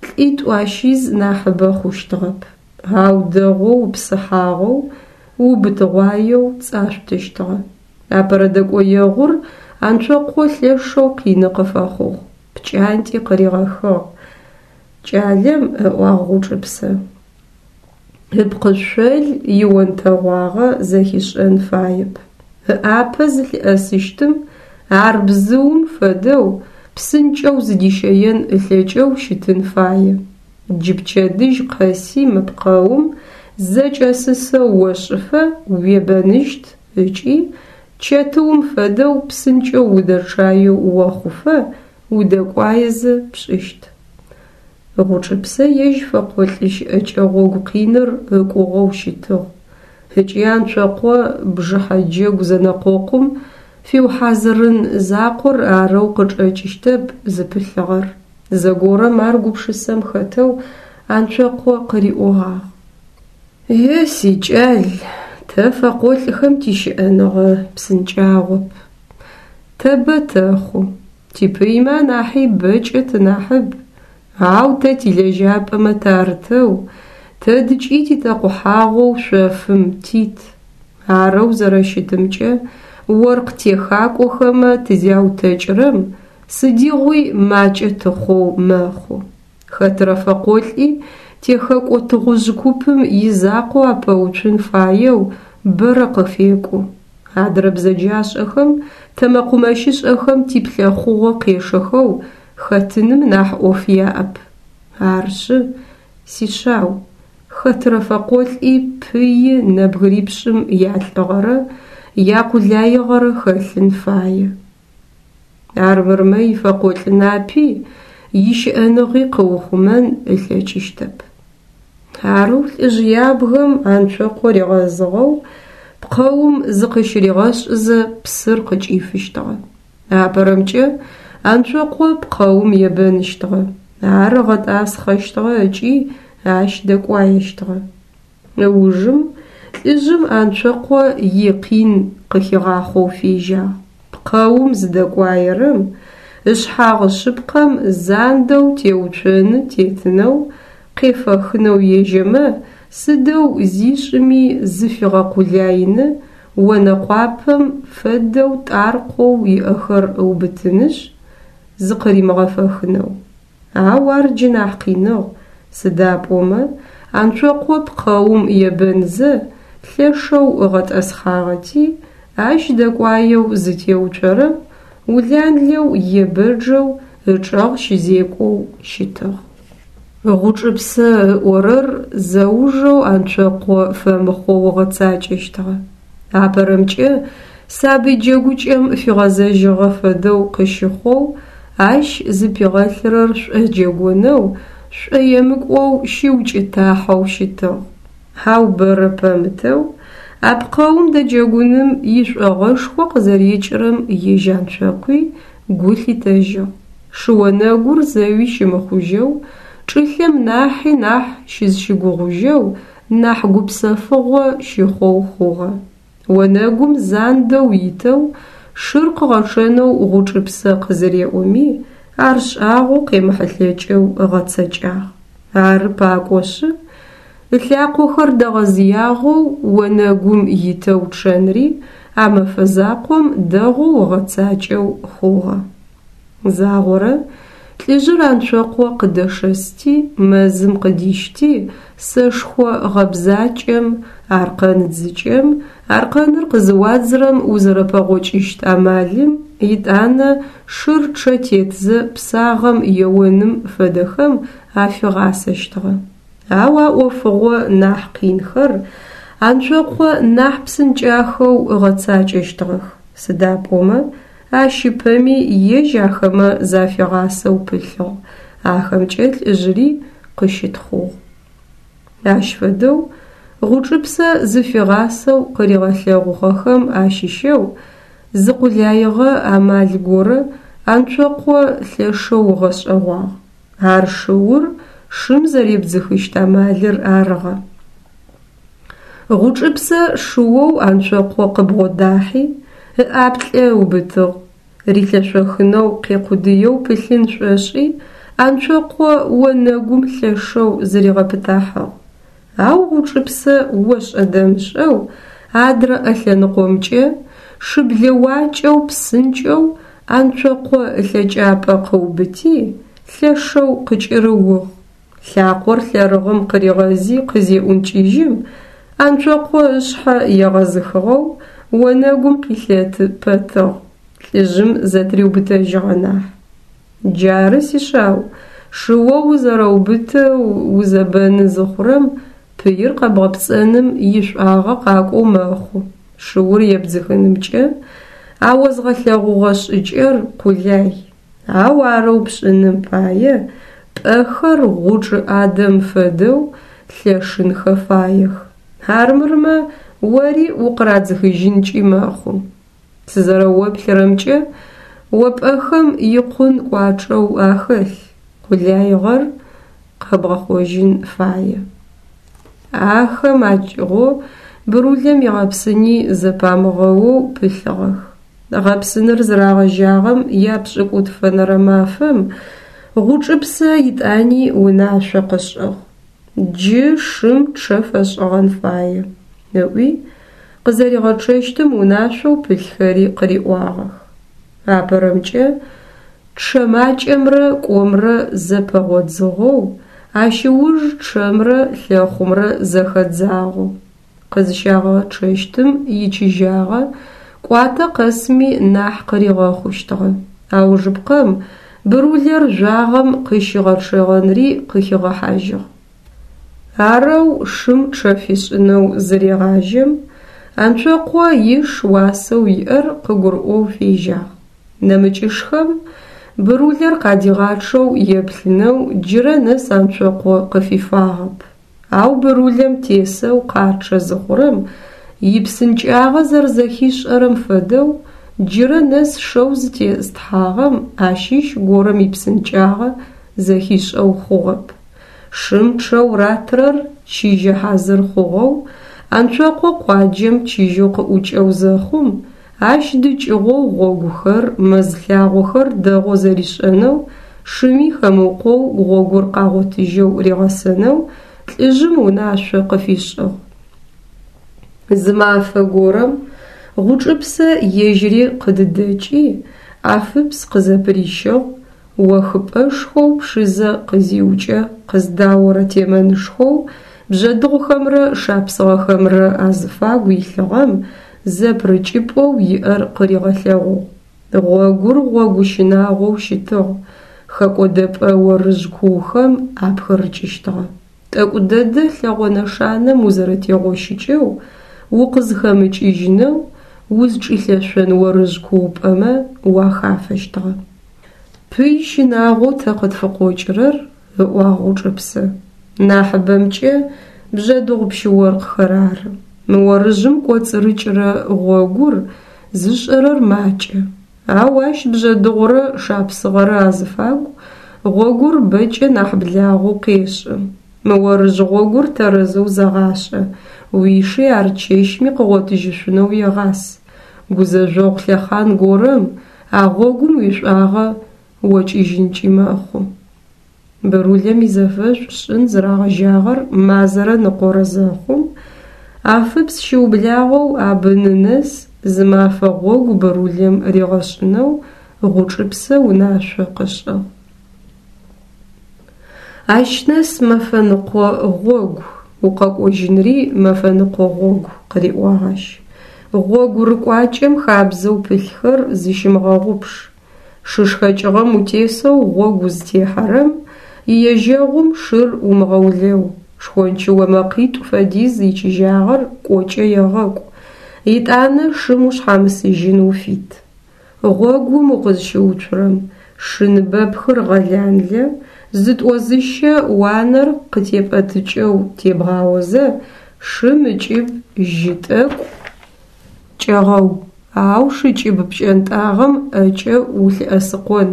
лӏитӏу ащиз нахьыбэ хъущтыгъэп, ау дэгъоу упсыхьагъэу, убытыгъуаеу цӏашъутыщтыгъэ. Апэрэ дэкӏоегъур Анцокъо лъэшэу къины къыфэхъугъ, пкӏантӏи къыригъэхыгъ. Кӏалэм, ыӏуагъ Гъучӏыпсэ, ыпкъышъол ионтэгъуагъэ зэхишӏэн фаеп. Ыӏапэ зылъыӏэсыщтым ар бзыум фэдэу псынкӏэу зыдищэен ылъэкӏэу щытын фае. Джы пчэдыжь къэси мы пкъэум зэкӏэсысэу ошӏыфэ уебэныщт ыкӏи чэтыум фэдэу псынкӏэу удэчъаеу охъуфэ удэкӏуаезэ пшӏыщт. Гъучӏыпсэ ежь фэкъолӏы щыӏэкӏэ гъогу къиныр ыкӏугъэу щытыгъ ыкӏи Анцокъо бжыхьэ джэгу зэнэкъокъум фиухьазырын закъор арэу къычӏэкӏыщтэп зыпылъыгъэр. Зэгорэм ар гупшысэм хэтэу Анцокъо къыриӏогъагъ. Е сикӏал, тэ фэкъолӏхэм тищыӏэныгъэ псынкӏагъоп. Тэ бэ тэхъу, типыймэ анахьи бэкӏэ тынахьыб, ау тэ тилэжьапӏэмэ тарытэу, тэдыкӏи титэкъухьагъэу шъофым тит. Арэу зэрэщытымкӏэ оркъ техакӏохэмэ тызяутэкӏырэм сыдигъуи макӏэ тыхъоу мэхъу. Хэтырэ фэкъолӏи техэкӏо тыгъужъ купым изакъоу апэуцун фаеу бэрэ къыфекӏу. Адрэ бзэджашӏэхэм тэ мэкъумэщышӏэхэм типлъэхъугъо къешэхэу хэтыным нахь ӏоф яӏэп. Арышъы, сишъау, хэтырэ фэкъолӏи пыи нэбгырипшӏым ялӏыгъэрэ якъулаигъэрэ хэлъын фае. Армырмэ ифэкъолӏ напи ищыӏэныгъи къыухъумэн ылъэкӏыщтэп. Арэу лӏыжъ ябгэм Анцокъо ригъэзыгъэу пкъэум зыкъыщыригъэшӏызэ псыр къыкӏифыщтыгъэ. Апэрэмкӏэ Анцокъо пкъэум ебэныщтыгъэ, ар ыгъэтӏасхъэщтыгъэ ыкӏи ащ дэкӏуаещтыгъэ. Ыужым лӏыжъым Анцокъо икъин къыхигъахъоу фежьагъ. Пкъэум зыдэкӏуаерэм ышъхьагъ шъыпкъэм зандэу теуцоны тетынэу, къефэхынэу ежьэмэ, сыдэу зишӏыми зыфигъэкъулаины онэкъуапэм фэдэу тӏаркъоу иӏэхэр ыубытынышъ, зыкъыримыгъэфэхынэу. Ау ар джы нахь къиныгъ, сыда пӏомэ Анцокъо пкъэум ебэнзэ лъэшэу ыгъэтӏэсхъагъэти, ащ дэкӏуаеу зытеуцорэм уланлэу е бэджэу ычӏэгъ щызекӏоу щытыгъ. Гъучӏыпсэ ыӏорэр зэужэу Анцокъо фэмыхъоу ыгъэцакӏэщтыгъэ. Апэрэмкӏэ сабый джэгукӏэм фигъэзэжьыгъэ фэдэу къыщыхъоу, ащ зыпигъэлъырэр шӏоджэгонэу, шӏоемыкӏоу щыукӏытахьэу щытыгъ. Ау бэрэ пэмытэу а пкъэум дэджэгуным ишӏогъэшхо къызэрекӏырэм ежь Анцокъуи гу лъитэжьыгъ. Шыонэгур зэуи щымыхъужьэу, чӏылъэм нахьи нахь щызщыгугъужьэу нахь гупсэфыгъо щыхъоу хъугъэ. Онэгум зандэу итэу шыр къыгъэчъэнэу Гъучӏыпсэ къызыреӏоми, ар шӏагъоу къемыхьылъэкӏэу ыгъэцэкӏагъ. Ары пакӏошъы, ылъакъохэр дэгъэзыягъэу онэгум итэу чъэнри а мэфэ закъом дэгъоу ыгъэцакӏэу хъугъэ. Загъорэ лӏыжъыр Анцокъо къыдэшэсти, мэзым къыдищти, сэшхо гъэбзакӏэм, аркъэн дзыкӏэм, аркъэныр къызыуадзырэм узэрэпэгъокӏыщт амалым, етӏанэ шыр чъэ тетзэ псагъэм еоным фэдэхэм афигъасэщтыгъэ. Ау а ӏофыгъо нахь къинхэр Анцокъо нахь псынкӏахэу ыгъэцакӏэщтыгъэх, сыда пӏомэ ащ ыпэми ежь ахэмэ зафигъасэу пылъыгъ, ахэмкӏэ лӏыжъыри къыщытхъугъ. Ащ фэдэу Гъучӏыпсэ зыфигъасэу къыригъэлъэгъугъэхэм ащыщэу зы къулаигъэ амал горэ Анцокъо лъэшэу ыгъэшӏэгъуагъ. Ар шыур шым зэребдзыхыщт амалыр арыгъэ. Гъучӏыпсэ шыоу Анцокъо къыбгъодахьи, ыӏаплӏэ ыубытыгъ, рилъэшъохынэу къекъудыеу пылъын шӏошӏи Анцокъо онэгум лъэшэу зыригъэпытахьыгъ. Ау Гъучӏыпсэ ошӏэ-дэмышӏэу адрэ ӏэ лъэныкъомкӏэ шыблэуакӏэу псынкӏэу Анцокъо ылъэкӏапӏэ къыубыти, лъэшэу къыкӏырыугъ. Лъакъор лъэрыгъым къыригъэзи къызеӏункӏыжьым, Анцокъо ышъхьэ егъэзыхыгъэу онэгум къилъэты пэтыгъ, лӏыжъым зэтыриубытэжьыгъэ нахь. Джары, сишъау, шыоу узэрэубытэу узэбэны зыхъурэм пыир къэбгъэпцӏэным ишӏуагъэ къакӏоу мэхъу. Шыур ебдзыхынымкӏэ а озгъэлъэгъугъэ шӏыкӏэр къулай, ау арэу пшӏыным пае пӏэхэр гъучӏ ӏадэм фэдэу лъэшынхэ фаех. Армырмэ ори укъырадзыхыжьынкӏи мэхъу. Сызэрэоплъырэмкӏэ, о пӏэхэм икъун кӏуачӏэу ахэлъ, къулаигъэр хэбгъэхъожьын фае. Ахэм акӏыгъоу брулэм игъэпсыни зэпамыгъэоу пылъыгъэх. Гъэпсыныр зырагъэжьагъэм япшӏыкӏутфэнэрэ мафэм Гъучӏыпсэ етӏани унашъо къышӏыгъ: «Джы шым чъэ фэшӏыгъэн фае», – ыӏуи, къызэригъэчъэщтым унашъоу пылъхэри къыриӏуагъэх. Апэрэмкӏэ, чъэ макӏэмрэ кӏомрэ зэпэгъодзыгъэу, ащ ыуж чъэмрэ лъэхъумрэ зэхэдзагъэу. Къызщагъэчъэщтым ичыжьагъэ кӏуатэ къэсми нахь къыригъэхъущтыгъэ. Аужыпкъэм брулэр жъуагъэм къыщыгъэчъэгъэнри къыхигъэхьажьыгъ. Арэу шым чъэ фишӏынэу зырегъажьэм, Анцокъо иш уасэу иӏэр къыгурыӏоу фежьагъ. Нэмыкӏышхэм брулэр къадигъачъэу еплъынэу джырэ нэс Анцокъо къыфифагъэп. Ау брулэм тесэу къачъэ зыхъурэм ипсынкӏагъэ зэрэзэхишӏэрэм фэдэу джырэ нэс шэу зытестхьагъэм ащыщ горэм ипсынкӏагъэ зэхишӏэу хъугъэп. Шым чъэу ратырэр чыжьэ хьазыр хъугъэу Анцокъо къуаджэм чыжьэу къыӏукӏэу зэхъум, ащ дыкӏыгъоу гъогухэр, мэз лъагъохэр дэгъоу зэришӏэнэу, шыми хэмыукъоу гъогур къагъотыжьэу ригъэсэнэу лӏыжъым унашъо къыфишӏыгъ. Зы мафэ горэм Гъучӏыпсэ ежьыри къыдыдэкӏи, Афыпс къызэпырищыгъ, охыпӏэшхоу Пшызэ къызиукӏэ къыздаорэ темэнышхоу бжъэдыгъухэмрэ шапсыгъэхэмрэ азыфагу илъыгъэм зэпырыкӏыпӏэу иӏэр къыригъэлъэгъугъ. Гъогур гъогу щынагъоу щытыгъ, хэкӏодэпӏэ орыжъ куухэм апхырыкӏыщтыгъэ. Тӏэкӏу дэдэ лъэгъо нэшанэм узэрэтегъощыкӏэу, укъызхэмыкӏыжьынэу узчӏилъэшъон орыжъ куупӏэмэ уахафэщтыгъэ. Пый щынагъоу тэ къытфыкъокӏырэр, ыӏуагъ Гъучӏыпсэ, нахьыбэмкӏэ бжъэдыгъу пщы-оркъхэр ары. Мы орыжъым кӏоцӏырыкӏырэ гъогур зышӏэрэр макӏэ, ау ащ бжъэдыгъурэ шапсыгъэрэ азыфагу гъогур бэкӏэ нахь благъэу къешӏы. Мы орыжъ гъогур тэрэзэу зэгъашӏэ, уиши ар чэщми къыгъотыжьышъунэу егъас. Гузэжъогъу лъэхъан горэм а гъогум уишӏуагъэ окӏыжьынкӏи мэхъу. Бырулэм изэфэшӏу шӏын зырагъэжьагъэр мазэрэ ныкъорэ зэхъум, Афыпс щыублагъэу Абыны нэс зы мафэ гъогу Бырулэм ригъэшӏынэу Гъучӏыпсэ унашъо къышӏыгъ. Ащ нэс мэфэныкъо гъогу, укъэкӏожьынри мэфэныкъо гъогу, къыриӏуагъ ащ. Гъогу рыкӏуакӏэм хабзэу пылъхэр зыщымыгъэгъупш. Шы шхэкӏыгъэм утесэу гъогу узтехьэрэм, иежьэгъум шыр умыгъэулэу, шхончыо мэкъитӏу фэдиз ичыжьагъэр кӏокӏэ егъэкӏу, етӏанэ шым ушъхьамысыжьын уфит. Гъогум укъызщыуцурэм, шы ныбэпхыр гъэланлэ, зытӏо-зыщэ уанэр къытепӏэтыкӏэу тебгъаозэ, шым ыкӏыб жьы тӏэкӏу кӏэгъэу, ау шыкӏыб пкӏэнтӏагъэм ӏэкӏэ улъыӏэсыкъон,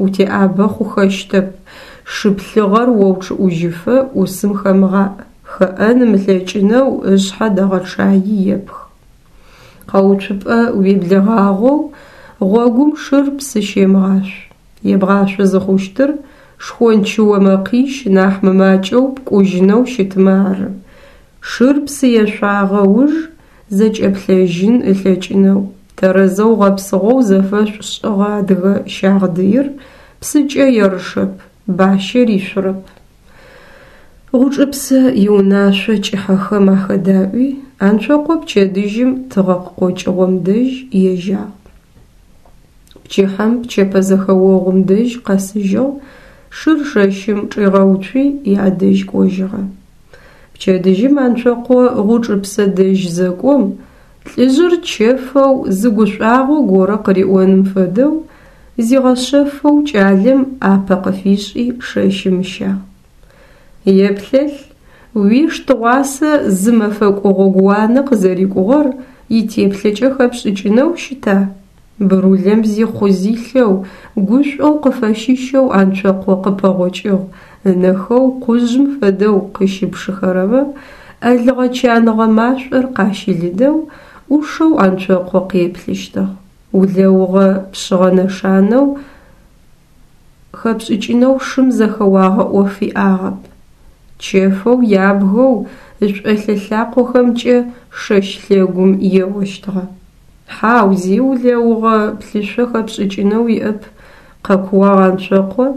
утеӏабэ хъухэщтэп, шы плъыгъэр оучъыӏужьыфэ ӏусым хэмыгъаӏ, хэӏэн ымылъэкӏынэу ышъхьэ дэгъэчъаий епх. Къэуцупӏэ уеблэгъагъэу гъогум шыр псы щемыгъашъу. Ебгъашъо зыхъущтыр шхончыо мэкъищ нахь мымакӏэу пкӏужьынэу щытмэ ары. Шыр псы ешъуагъэ уж зэкӏэплъэжьын ылъэкӏынэу, тэрэзэу гъэпсыгъэу зэфэшӏу шӏыгъэ адыгэ щагъдыир псыкӏэ ерышэп, бащэ ришъурэп. Гъучӏыпсэ иунашъо кӏыхьэхэм ахэдаӏуи, Анцокъо пчэдыжьым тыгъэ къыкъокӏыгъом дэжь ежьагъ. Пчыхьэм пчэпэзэхэогъум дэжь къэсыжьыгъ, шыр шэщым чӏигъэуцуи, ядэжь кӏожьыгъэ. Пчэдыжьым Анцокъо Гъучӏыпсэ дэжь зэкӏом, лӏыжъыр чэфэу зы гушӏуагъо горэ къыриӏоным фэдэу зигъэшъэфэу кӏалэм ӏапэ къыфишӏи шэщым ыщагъ. Еплъэлъ, уиш тыгъуасэ зы мэфэкӏо гъогууанэ къызэрикӏугъэр итеплъэкӏэ хэпшӏыкӏынэу щыта? Бырулэм зихъу-зилъэу, гушӏоу къыфэщыщэу Анцокъо къыпэгъокӏыгъ, ынэхэу къужъым фэдэу къыщыпшыхэрэмэ ӏэлыгъэ-чаныгъэ машӏор къащылыдэу, ӏушэу Анцокъо къеплъыщтыгъ. Улэугъэ пшъыгъэ нэшанэу хэпшӏыкӏынэу шым зэхэуагъэ ӏоф иӏагъэп. Чэфэу ябгэу ышӏолъэ лъакъохэмкӏэ шэщ лъэгум еощтыгъэ. Хьау, зи улэугъэ плъышъо хэпшӏыкӏынэу иӏэп, къэкууагъ Анцокъо,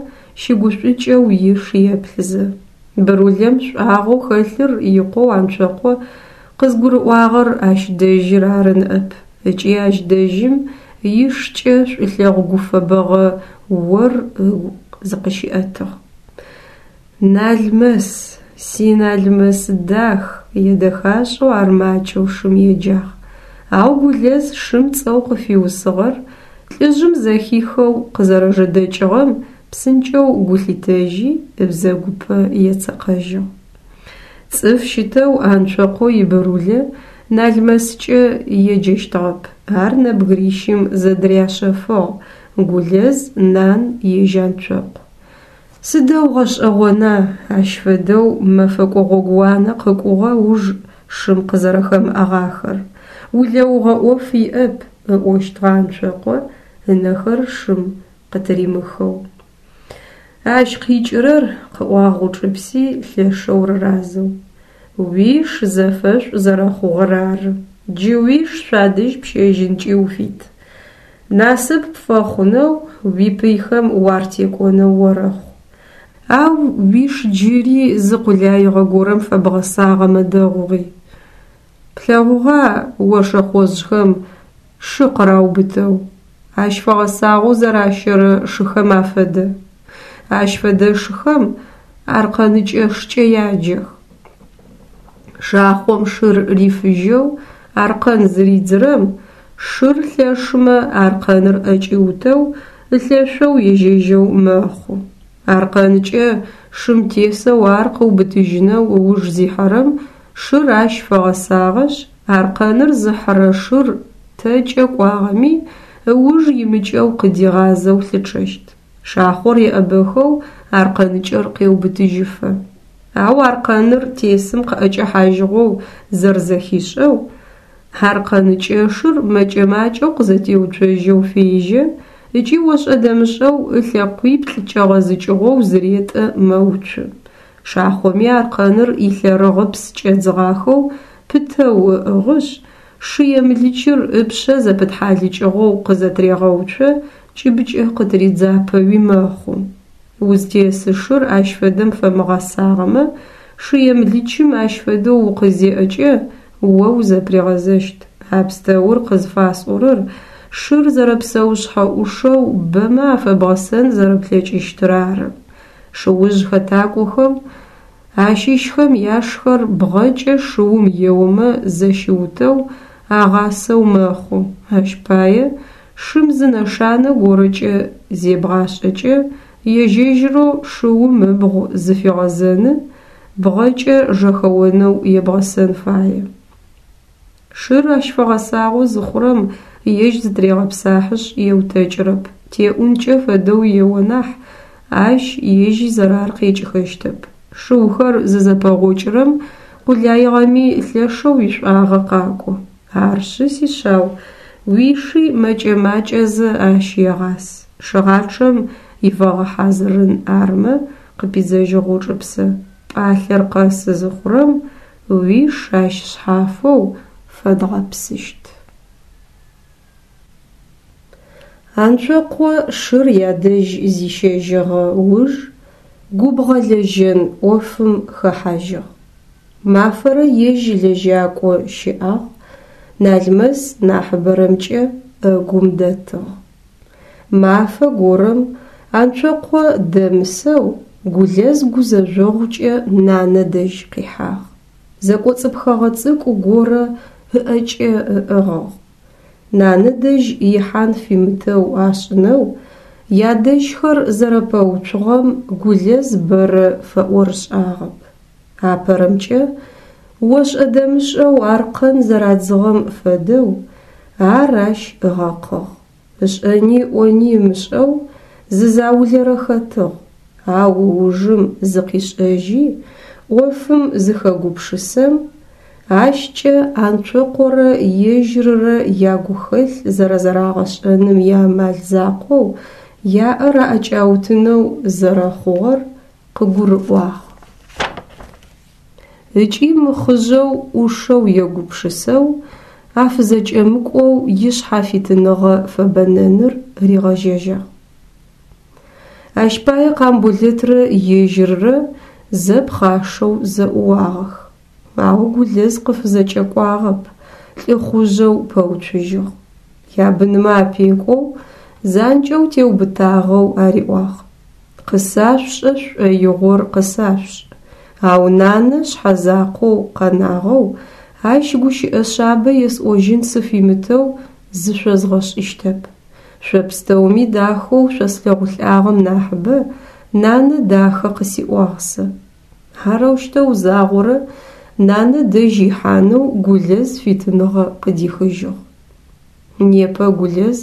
щыгушӏукӏэу иш еплъызэ. Бырулэм шӏуагъэу хэлъыр икъоу Анцокъо къызгурыӏуагъэр ащ дэжьыр ары ныӏэп, ыкӏи ащ дэжьым ишкӏэ шӏулъэгъу гуфэбэгъэ ор ыгу зыкъыщиӏэтыгъ. Налмэс, си Налмэс дах, едэхашӏэу ар макӏэу шым еджагъ. Ау Гулэз шым цӏэу къыфиусыгъэр лӏыжъым зэхихэу къызэрэжэдэкӏыгъэм псынкӏэу гу лъитэжьи, ыбзэгупэ ецэкъэжьыгъ. Цӏыф щытэу Анцокъо ибырулэ Налмэскӏэ еджэщтыгъэп, ар нэбгырищым зэдыряшъэфыгъ: Гулэз, Нан, ежь Анцокъу. Сыдэу гъэшӏэгъона ащ фэдэу мэфэкӏо гъогууанэ къыкӏугъэ уж шым къызэрэхэмыӏэгъахэр. Улэугъэ ӏоф иӏэп, ыӏощтыгъэ Анцокъо ынэхэр шым къытыримыхэу. Ащ къикӏырэр, къыӏуагъ Гъучӏыпси лъэшэу рыразэу, уиш зэфэшӏу зэрэхъугъэр ары. Джы уиш шъуадэжь пщэжьынкӏи уфит. Насып пфэхъунэу, уипыйхэм уартекӏонэу орэхъу. Ау уиш джыри зы къулаигъэ горэм фэбгъэсагъэмэ дэгъугъи. Плъэгъугъа о шэхъожъхэм шы къыраубытэу? Ащ фэгъэсагъэу зэращэрэ шыхэм афэдэ. Ащ фэдэ шыхэм аркъэныкӏэ шкӏэ яджэх. Шахъом шыр рифыжьэу аркъэн зыридзырэм, шыр лъэшымэ аркъэныр ӏэкӏиутэу ылъэшъоу ежьэжьэу мэхъу. Аркъэныкӏэ шым тесэу ар къыубытыжьынэу ыуж зихьэрэм шыр ащ фэгъэсагъэшъ, аркъэныр зыхьырэ шыр тэкӏэ кӏуагъэми, ыуж имыкӏэу къыдигъазэу лъычъэщт. Шахъор еӏэбэхэу аркъэныкӏэр къеубытыжьыфэ. Ау аркъэныр тесым къыӏэкӏэхьажьыгъэу зэрэзэхишӏэу, аркъэныкӏэшыр мэкӏэ-макӏэу къызэтеуцожьэу фежьэ ыкӏи ошӏэ-дэмышӏэу ылъэкъуиплӏ кӏэгъэзыкӏыгъэу зыретӏэ мэуцу. Шахъоми аркъэныр илъэрыгъыпс кӏэдзыгъахэу пытэу ыӏыгъышъ, шы емылычыр ыпшъэ зэпытхьалыкӏыгъэу къызэтырегъэуцо, кӏыбыкӏэ къытыридзапэуи мэхъу. Узтесы шыр ащ фэдэм фэмыгъэсагъэмэ, шы емылычым ащ фэдэу укъызеӏэкӏэ о узэпыригъэзэщт. А пстэур къызфасӏорэр шыр зэрэпсэушъхьэ ӏушэу бэмэ афэбгъэсэн зэрэплъэкӏыщтыр ары. Шыужъ хэтакӏохэм ащыщхэм яшхэр бгъэкӏэ шыум еомэ зэщиутэу агъасэу мэхъу, ащ пае шым зы нэшанэ горэкӏэ зебгъашӏэкӏэ ежь-ежьырэу шыум ыбгъу зыфигъэзэны, бгъэкӏэ жэхэонэу ебгъэсэн фае. Шыр ащ фэгъэсагъэу зыхъурэм ежь зытырегъэпсахьышъ еутэкӏырэп, теӏункӏэ фэдэу ео нахь, ащ ежь изэрар къекӏыхэщтэп. Шыухэр зызэпэгъокӏырэм къулаигъэми лъэшэу ишӏуагъэ къакӏо. Арышъы, сишъау, уиши мэкӏэ-макӏэзэ ащ егъас. Шыгъачъэм ифэгъэхьазырын армэ, къыпидзэжьыгъ Гъучӏыпсэ, пӏалъэр къэсы зыхъурэм уиш ащ шъхьафэу фэдгъэпсыщт. Анцокъо шыр ядэжь зищэжьыгъэ уж губгъэлэжьэн ӏофым хэхьажьыгъ. Мафэрэ ежь лэжьакӏо щыӏагъ, Налмэс нахьыбэрэмкӏэ ӏэгум дэтыгъ. Мафэ горэм Анцокъо дэмысэу Гулэз гузэжъогъукӏэ нанэ дэжь къихьагъ. Зэкӏоцӏыпхэгъэ цӏыкӏу горэ ыӏэкӏэ ыӏыгъыгъ. Нанэ дэжь ихьан фимытэу ашӏынэу ядэжьхэр зэрэпэуцугъэм Гулэз бэрэ фэӏорышӏагъэп. Апэрэмкӏэ, ошӏэ-дэмышӏэу аркъэн зэрадзыгъэм фэдэу, ар ащ ыгъэкъыгъ. Ышӏэни ыӏони ымышӏэу зы заулэрэ хэтыгъ, ау ыужым зыкъишӏэжьи, ӏофым зыхэгупшысэм, ащкӏэ Анцокъорэ ежьыррэ ягухэлъ зэрэзэрагъэшӏэным иамал закъоу яӏэр аӏэкӏаутынэу зэрэхъугъэр къыгурыӏуагъ. Ыкӏи мыхъыжъэу ӏушэу егупшысэу, афызэкӏэмыкӏоу ишъхьафитыныгъэ фэбэнэныр ригъэжьэжьагъ. Ащ пае Къамболэтрэ ежьыррэ зэ пхъашэу зэӏууагъэх. Ау Гулэз къыфызэкӏэкӏуагъэп, лӏыхъужъэу пэуцужьыгъ. Ябынмэ апекӏоу, занкӏэу теубытагъэу ариӏуагъ: «Къысашъушӏэ шъушӏоигъор къысашъушӏ, ау нанэ шъхьэзакъоу къэнагъэу, ащ гущыӏэ шъабэ есӏожьын сыфимытэу зышъозгъэшӏыщтэп. Шъо пстэуми дахэу шъослъэгъулӏагъэм нахьыбэ нанэ дахэ къысиӏуагъ сэ». Арэущтэу загъорэ нанэ дэжь ихьанэу Гулэз фитыныгъэ къыдихыжьыгъ. Непэ Гулэз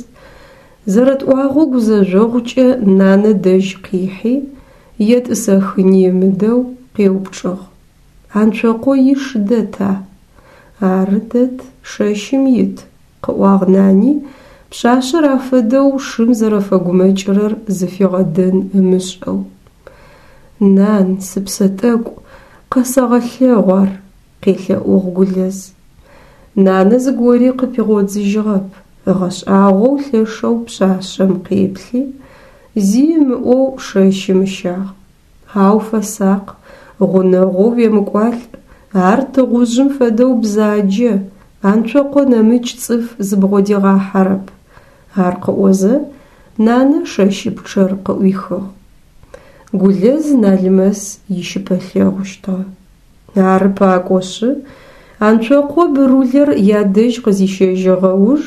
зэрэтӏуагъэу гузэжъогъукӏэ нанэ дэжь къихьи, етӏысэхыни ымыдэу, къеупчӏыгъ: «Анцокъо иш дэта?» «Ары, дэт, шэщым ит», къыӏуагъ нани, пшъашъэр афэдэу шым зэрэфэгумэкӏырэр зыфигъэдэн ымышӏэу. «Нан, сыпсэ тӏэкӏу, къэсэгъэлъэгъу ар», къелъэӏугъ Гулэз. Нанэ зыгори къыпигъодзыжьыгъэп, ыгъэшӏагъоу лъэшэу пшъашъэм къеплъи, зи ымыӏоу шэщым ыщагъ. Ау фэсакъ, гъунэгъоу уемыкӏуалӏ, ар тыгъужъым фэдэу бзаджэ, Анцокъо нэмыкӏ цӏыф зыбгъодигъахьэрэп. Ар къыӏозэ, нанэ шэщыпчъэр къыӏуихыгъ. Гулэз Налмэс ищыпэлъэгъущтыгъэ. Ары пакӏошъы, Анцокъо бырулэр ядэжь къызищэжьыгъэ уж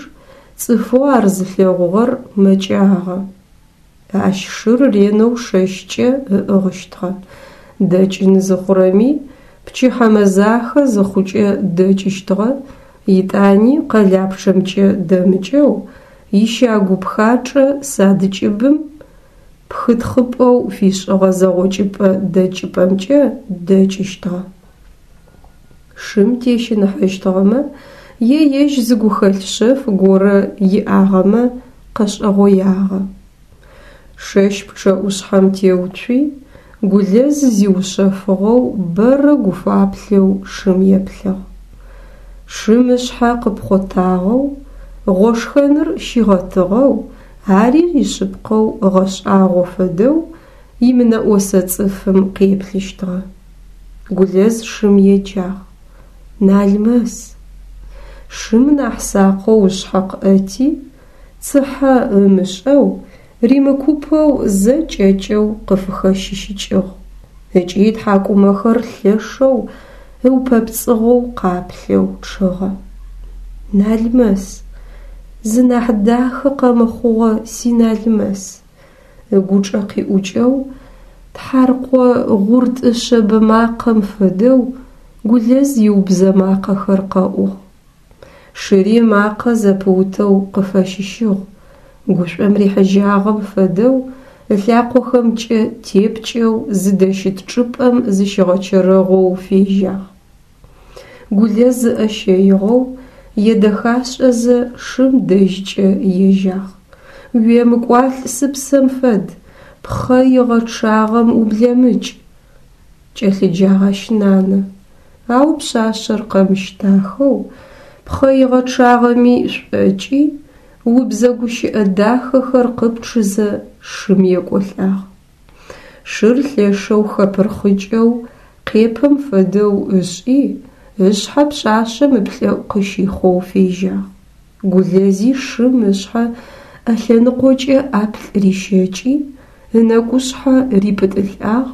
цӏыфэу ар зылъэгъугъэр мэкӏагъэ. Ащ шыр ренэу шэщкӏэ ыӏыгъыщтыгъэ. Дэкӏын зыхъурэми, пчыхьэ мэзахэ зыхъукӏэ дэкӏыщтыгъэ, етӏани къэлапчъэмкӏэ дэмыкӏэу, ищагу пхачӏэ сад кӏыбым пхытхъыпӏэу фишӏыгъэ зэгъокӏыпӏэ дэкӏыпӏэмкӏэ дэкӏыщтыгъэ. Шым тещыныхьэщтыгъэмэ е ежь зы гухэлъ шъэф горэ иӏагъэмэ къэшӏэгъоягъэ. Шэщ пчъэӏушъхьэм теуцуи, Гулэз зиушъэфыгъэу бэрэ гуфаплъэу шым еплъыгъ. Шым ышъхьэ къыпхъотагъэу, гъошхэныр щигъэтыгъэу, ари ишъыпкъэу ыгъэшӏагъо фэдэу имынэӏосэ цӏыфым къеплъыщтыгъэ. Гулэз шым еджагъ: «Налмэс!» Шым нахь сакъэу ышъхьэ къыӏэти, цыхьэ ымышӏэу, римыкупэу зэ кӏэкӏэу къыфыхэщыщыкӏыгъ ыкӏи ытхьакӏумэхэр лъэшэу ыупэпцӏыгъэу къаплъэу чъыгъэ. «Налмэс! Зынахь дахэ къэмыхъугъэ си Налмэс!» Ыгучӏэ къиӏукӏэу, тхьаркъо гъуртӏы шъэбэ макъэм фэдэу Гулэз иубзэ макъэхэр къэӏугъ. Шыри ымакъэ зэпыутэу къыфэщыщыгъ, гушӏом рихьыжьагъэм фэдэу ылъакъохэмкӏэ тепкӏэу зыдэщыт чӏыпӏэм зыщигъэчэрэгъоу фежьагъ. Гулэз ыӏэ щэигъэу, едэхашӏэзэ шым дэжькӏэ ежьагъ. «Уемыкӏуалӏ сыпсэм фэд, пхъэ игъэчъагъэм ублэмыкӏ!» Кӏэлъыджагъ ащ нанэ. Ау пшъашъэр къэмыщтахэу, пхъэ игъэчъагъэми шӏокӏи, убзэ гущыӏэ дахэхэр къыпчъызэ шым екӏолӏагъ. Шыр лъэшэу хэпырхъыкӏэу, къепэм фэдэу ышӏи, ышъхьэ пшъашъэм ыплӏэӏу къыщихъоу фежьагъ. Гулэзи шым ышъхьэ ӏэлъэныкъокӏэ ӏаплӏ рищэкӏи, ынэкӏушъхьэ рипӏытӏылӏагъ,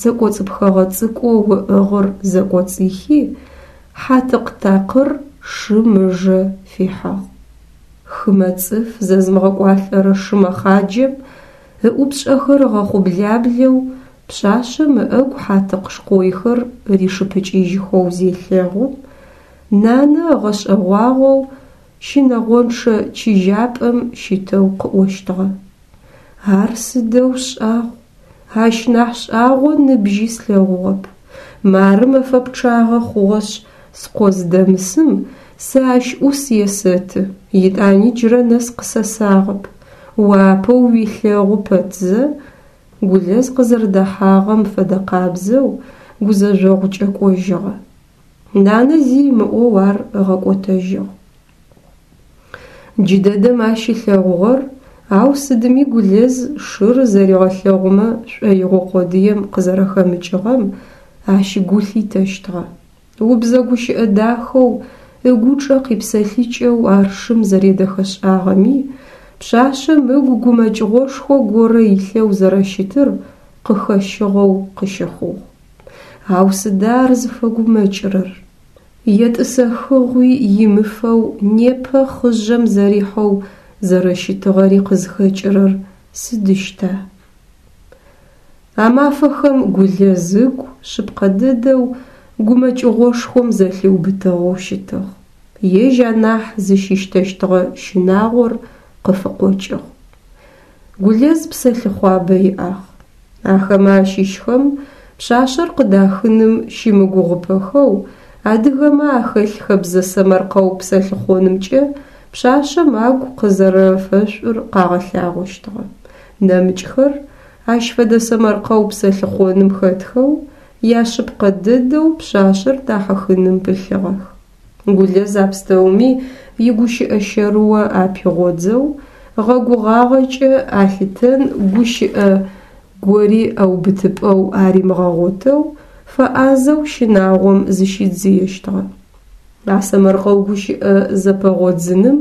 зэкӏоцӏыпхэгъэ цӏыкӏоу ыӏыгъыр зэкӏоцӏихи, хьатыкъ такъыр шым ыжэ фихьыгъ. Хымэ цӏыф зэзымыгъэкӏуалӏэрэ шы мэхъаджэм ыӏупшӏэхэр ыгъэхъублаблэу пшъашъэм ыӏэгу хьатыкъ шкъойхэр ришыпыкӏыжьхэу зелъэгъум, нанэ ыгъэшӏэгъуагъэу щынэгъончъэ чыжьапӏэм щытэу къыӏощтыгъэ: «Ар сыдэу шӏагъу, ащ нахь шӏагъо ныбжьи слъэгъугъэп. Мары мэфэ пчъагъэ хъугъэшъ скъо зыдэмысым сэ ащ ӏус есэты, етӏани джырэ нэс къысэсагъэп. О апэу уилъэгъу пэтзэ, Гулэз къызэрэдэхьагъэм фэдэкъабзэу гузэжъогъукӏэ кӏожьыгъэ. Нанэ зи ымыӏоу ар ыгъэкӏотэжьыгъ. Джыдэдэм ащ ылъэгъугъэр, ау сыдми Гулэз шыр зэригъэлъэгъумэ шӏоигъо къодыем къызэрэхэмыкӏыгъэм ащ гу лъитэщтыгъэ. Убзэ гущыӏэ дахэу ыгучӏэ къипсэлъыкӏэу ар шым зэредэхэшӏагъэми, пшъашъэм ыгу гумэкӏыгъошхо горэ илъэу зэрэщытыр къыхэщыгъэу къыщыхъугъ. Ау сыда ар зыфэгумэкӏырэр? Етӏысэхыгъуи имыфэу непэ хъыжъэм зэрихьэу зэрэщытыгъэри къызхэкӏырэр сыдыщта? А мафэхэм Гулэз ыгу шъыпкъэ дэдэу гумэкӏыгъошхом зэлъиубытыгъэу щытыгъ. Ежь анахь зыщыщтэщтыгъэ щынагъор къыфыкъокӏыгъ. Гулэз псэлъыхъуабэ иӏагъ. Ахэмэ ащыщхэм пшъашъэр къыдахыным щымыгугъыпэхэу адыгэмэ ахэлъ хэбзэ сэмэркъэу псэлъыхъонымкӏэ пшъашъэм агу къызэрэфэшӏур къагъэлъагъощтыгъэ. Нэмыкӏхэр ащ фэдэ сэмэркъэу псэлъыхъоным хэтхэу, яшъыпкъэ дэдэу пшъашъэр дахьыхыным пылъыгъэх. Гулэз а пстэуми игущыӏэ щэрыо апигъодзэу, гъэгугъагъэкӏэ алъытэн гущыӏэ гори ӏэубытыпӏэу аримыгъэгъотэу, фэӏазэу щынагъом зыщидзыещтыгъэ. А сэмэркъэу гущыӏэ зэпэгъодзыным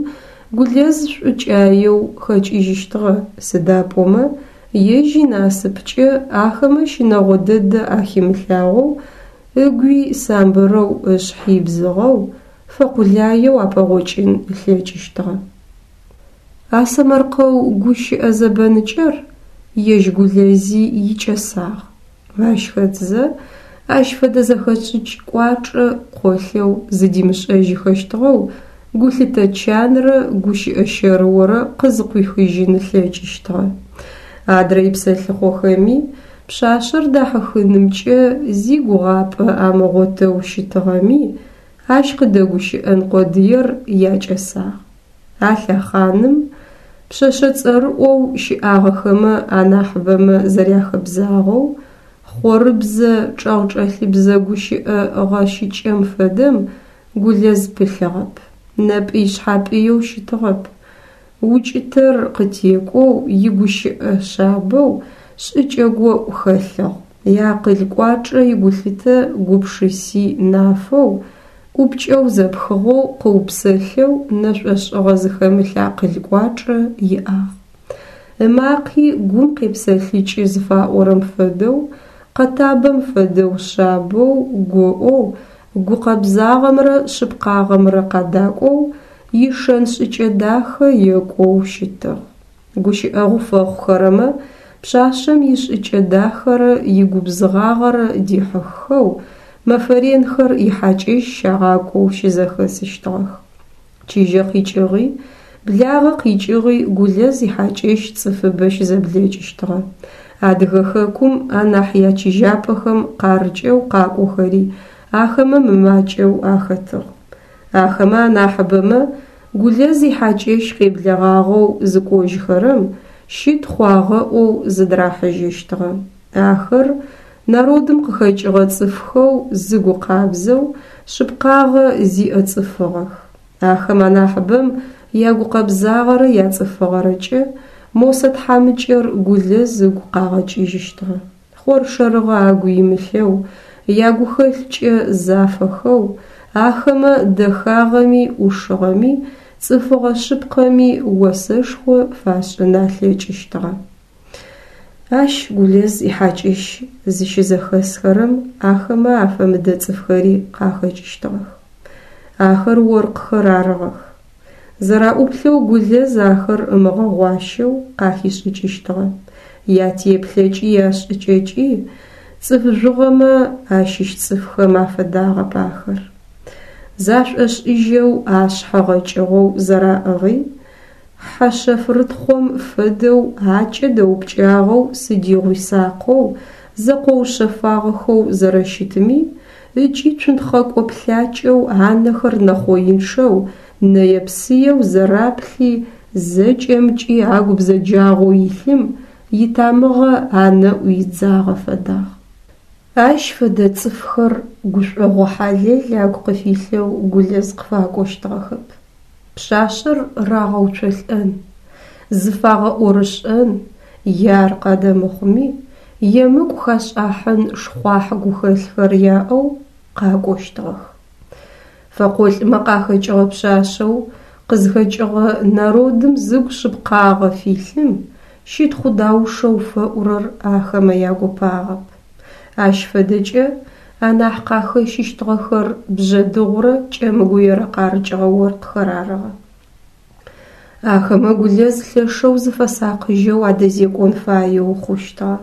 Гулэз шӏукӏаеу хэкӏыжьыщтыгъэ, сыда пӏомэ ежь инасыпкӏэ ахэмэ щынэгъо дэдэ ахимылъагъоу, ыгуи самбырэу ышъхьи бзыгъэу, фэкъулаеу апэгъокӏын ылъэкӏыщтыгъэ. А сэмэркъэу гущыӏэ зэбэныкӏэр ежь Гулэзи икӏэсагъ. Ащ хэтзэ ащ фэдэ зэхэшӏыкӏ кӏуачӏэ къолъэу зыдимышӏэжьыхэщтыгъэу гулъытэ чанрэ гущыӏэ щэрыорэ къызыкъуихыжьын ылъэкӏыщтыгъэ. Адрэ ипсэлъыхъохэми пшъашъэр дахьыхынымкӏэ зи гугъапӏэ амыгъотэу щытыгъэми, ащ къыдэгущыӏэн къодыер якӏэсагъ. А лъэхъаным пшъэшъэ цӏэрыӏоу щыӏагъэхэмэ анахьыбэмэ зэряхэбзагъэу, хъорыбзэ, чӏэгъчӏэлъыбзэ гущыӏэ гъэщыкӏэм фэдэм Гулэз пылъыгъэп, нэпӏый-шъхьапӏыеу щытыгъэп, укӏытэр къытекӏоу игущыӏэ шъабэу, шӏыкӏэ гоӏу хэлъыгъ, иакъыл кӏуачӏэ игулъытэ гупшыси нафэу, ӏупкӏэу зэпхыгъэу къыупсэлъэу нэшӏошӏыгъэ зыхэмылъ акъыл кӏуачӏэ иӏагъ. Ымакъи гум къепсэлъыкӏы зыфаӏорэм фэдэу, къэтабэм фэдэу шъабэу, гоӏоу, гукъэбзагъэмрэ шъыпкъагъэмрэ къадакӏоу, ишэн-шӏыкӏэ дахэ екӏоу щытыгъ. Гущыӏэгъу фэхъухэрэмэ пшъашъэм ишӏыкӏэ дахэрэ игубзыгъагъэрэ дихьыххэу, мэфэ ренхэр ихьакӏэщ щагъакӏоу щызэхэсыщтыгъэх. Чыжьэ къикӏыгъи, благъэ къикӏыгъи Гулэз ихьакӏэщ цӏыфыбэ щызэблэкӏыщтыгъэ. Адыгэ хэкум анахь ячыжьапӏэхэм къарыкӏэу къакӏохэри ахэмэ мымакӏэу ахэтыгъ. Ахэмэ анахьыбэмэ Гулэз ихьакӏэщ къеблэгъагъэу зыкӏожьхэрэм щытхъу агъэӏоу зыдырахьыжьэщтыгъэ. Ахэр народым къыхэкӏыгъэ цӏыфхэу зыгу къабзэу, шъыпкъагъэ зиӏэ цӏыфыгъэх. Ахэм анахьыбэм ягукъэбзагъэрэ яцӏыфыгъэрэкӏэ Мосэ тхьамыкӏэр Гулэз ыгу къагъэкӏыжьыщтыгъэ. Хъоршэрыгъэ агу имылъэу, ягухэлъкӏэ зафэхэу, ахэмэ дэхагъэми ӏушыгъэми, цӏыфыгъэ шъыпкъэми осэшхо фашӏын алъэкӏыщтыгъэ. Ащ Гулэз ихьакӏэщ зыщызэхэсхэрэм ахэмэ афэмыдэ цӏыфхэри къахэкӏыщтыгъэх. Ахэр оркъхэр арыгъэх. Зэраӏуплъэу Гулэз ахэр ымыгъэгъуащэу къахишӏыкӏыщтыгъэ. Ятеплъэкӏи яшӏыкӏэкӏи цӏыф жъугъэмэ ащыщ цӏыфхэм афэдагъэп ахэр. Зашӏошӏыжьэу ашъхьэ гъэкӏыгъэу зэраӏыгъи, хьэ шъэфрытхъом фэдэу акӏэ дэупкӏагъэу сыдигъуи сакъэу, зэкъоушъэфагъэхэу зэрэщытми, ыкӏи цунтхъэкӏо плъакӏэу анэхэр нэхъоинчъэу, нэе-псыеу зэраплъи зэкӏэмкӏи агу бзэджагъэу илъым итамыгъэ анэӏу идзагъэ фэдагъ. Ащ фэдэ цӏыфхэр гушӏогъо хьалэл агу къыфилъэу Гулэз къыфакӏощтыгъэхэп. Пшъашъэр рагъэуцолӏэн, зыфагъэӏорышӏэн е ар къадэмыхъуми, емыкӏу хашӏахьын шхъуахь гухэлъхэр яӏэу къакӏощтыгъэх. Фэкъолӏмэ къахэкӏыгъэ пшъашъэу къызхэкӏыгъэ народым зыгу шъыпкъагъэ филъым щытхъу даушэу фэӏурэр ахэмэ ягопагъэп. Ащ фэдэкӏэ анахь къахэщыщтыгъэхэр Бжъэдыгъурэ Кӏэмгуерэ къарыкӏыгъэ оркъхэр арыгъэ. Ахэмэ Гулэз лъэшэу зыфэсакъыжьэу адэзекӏон фаеу хъущтыгъэ.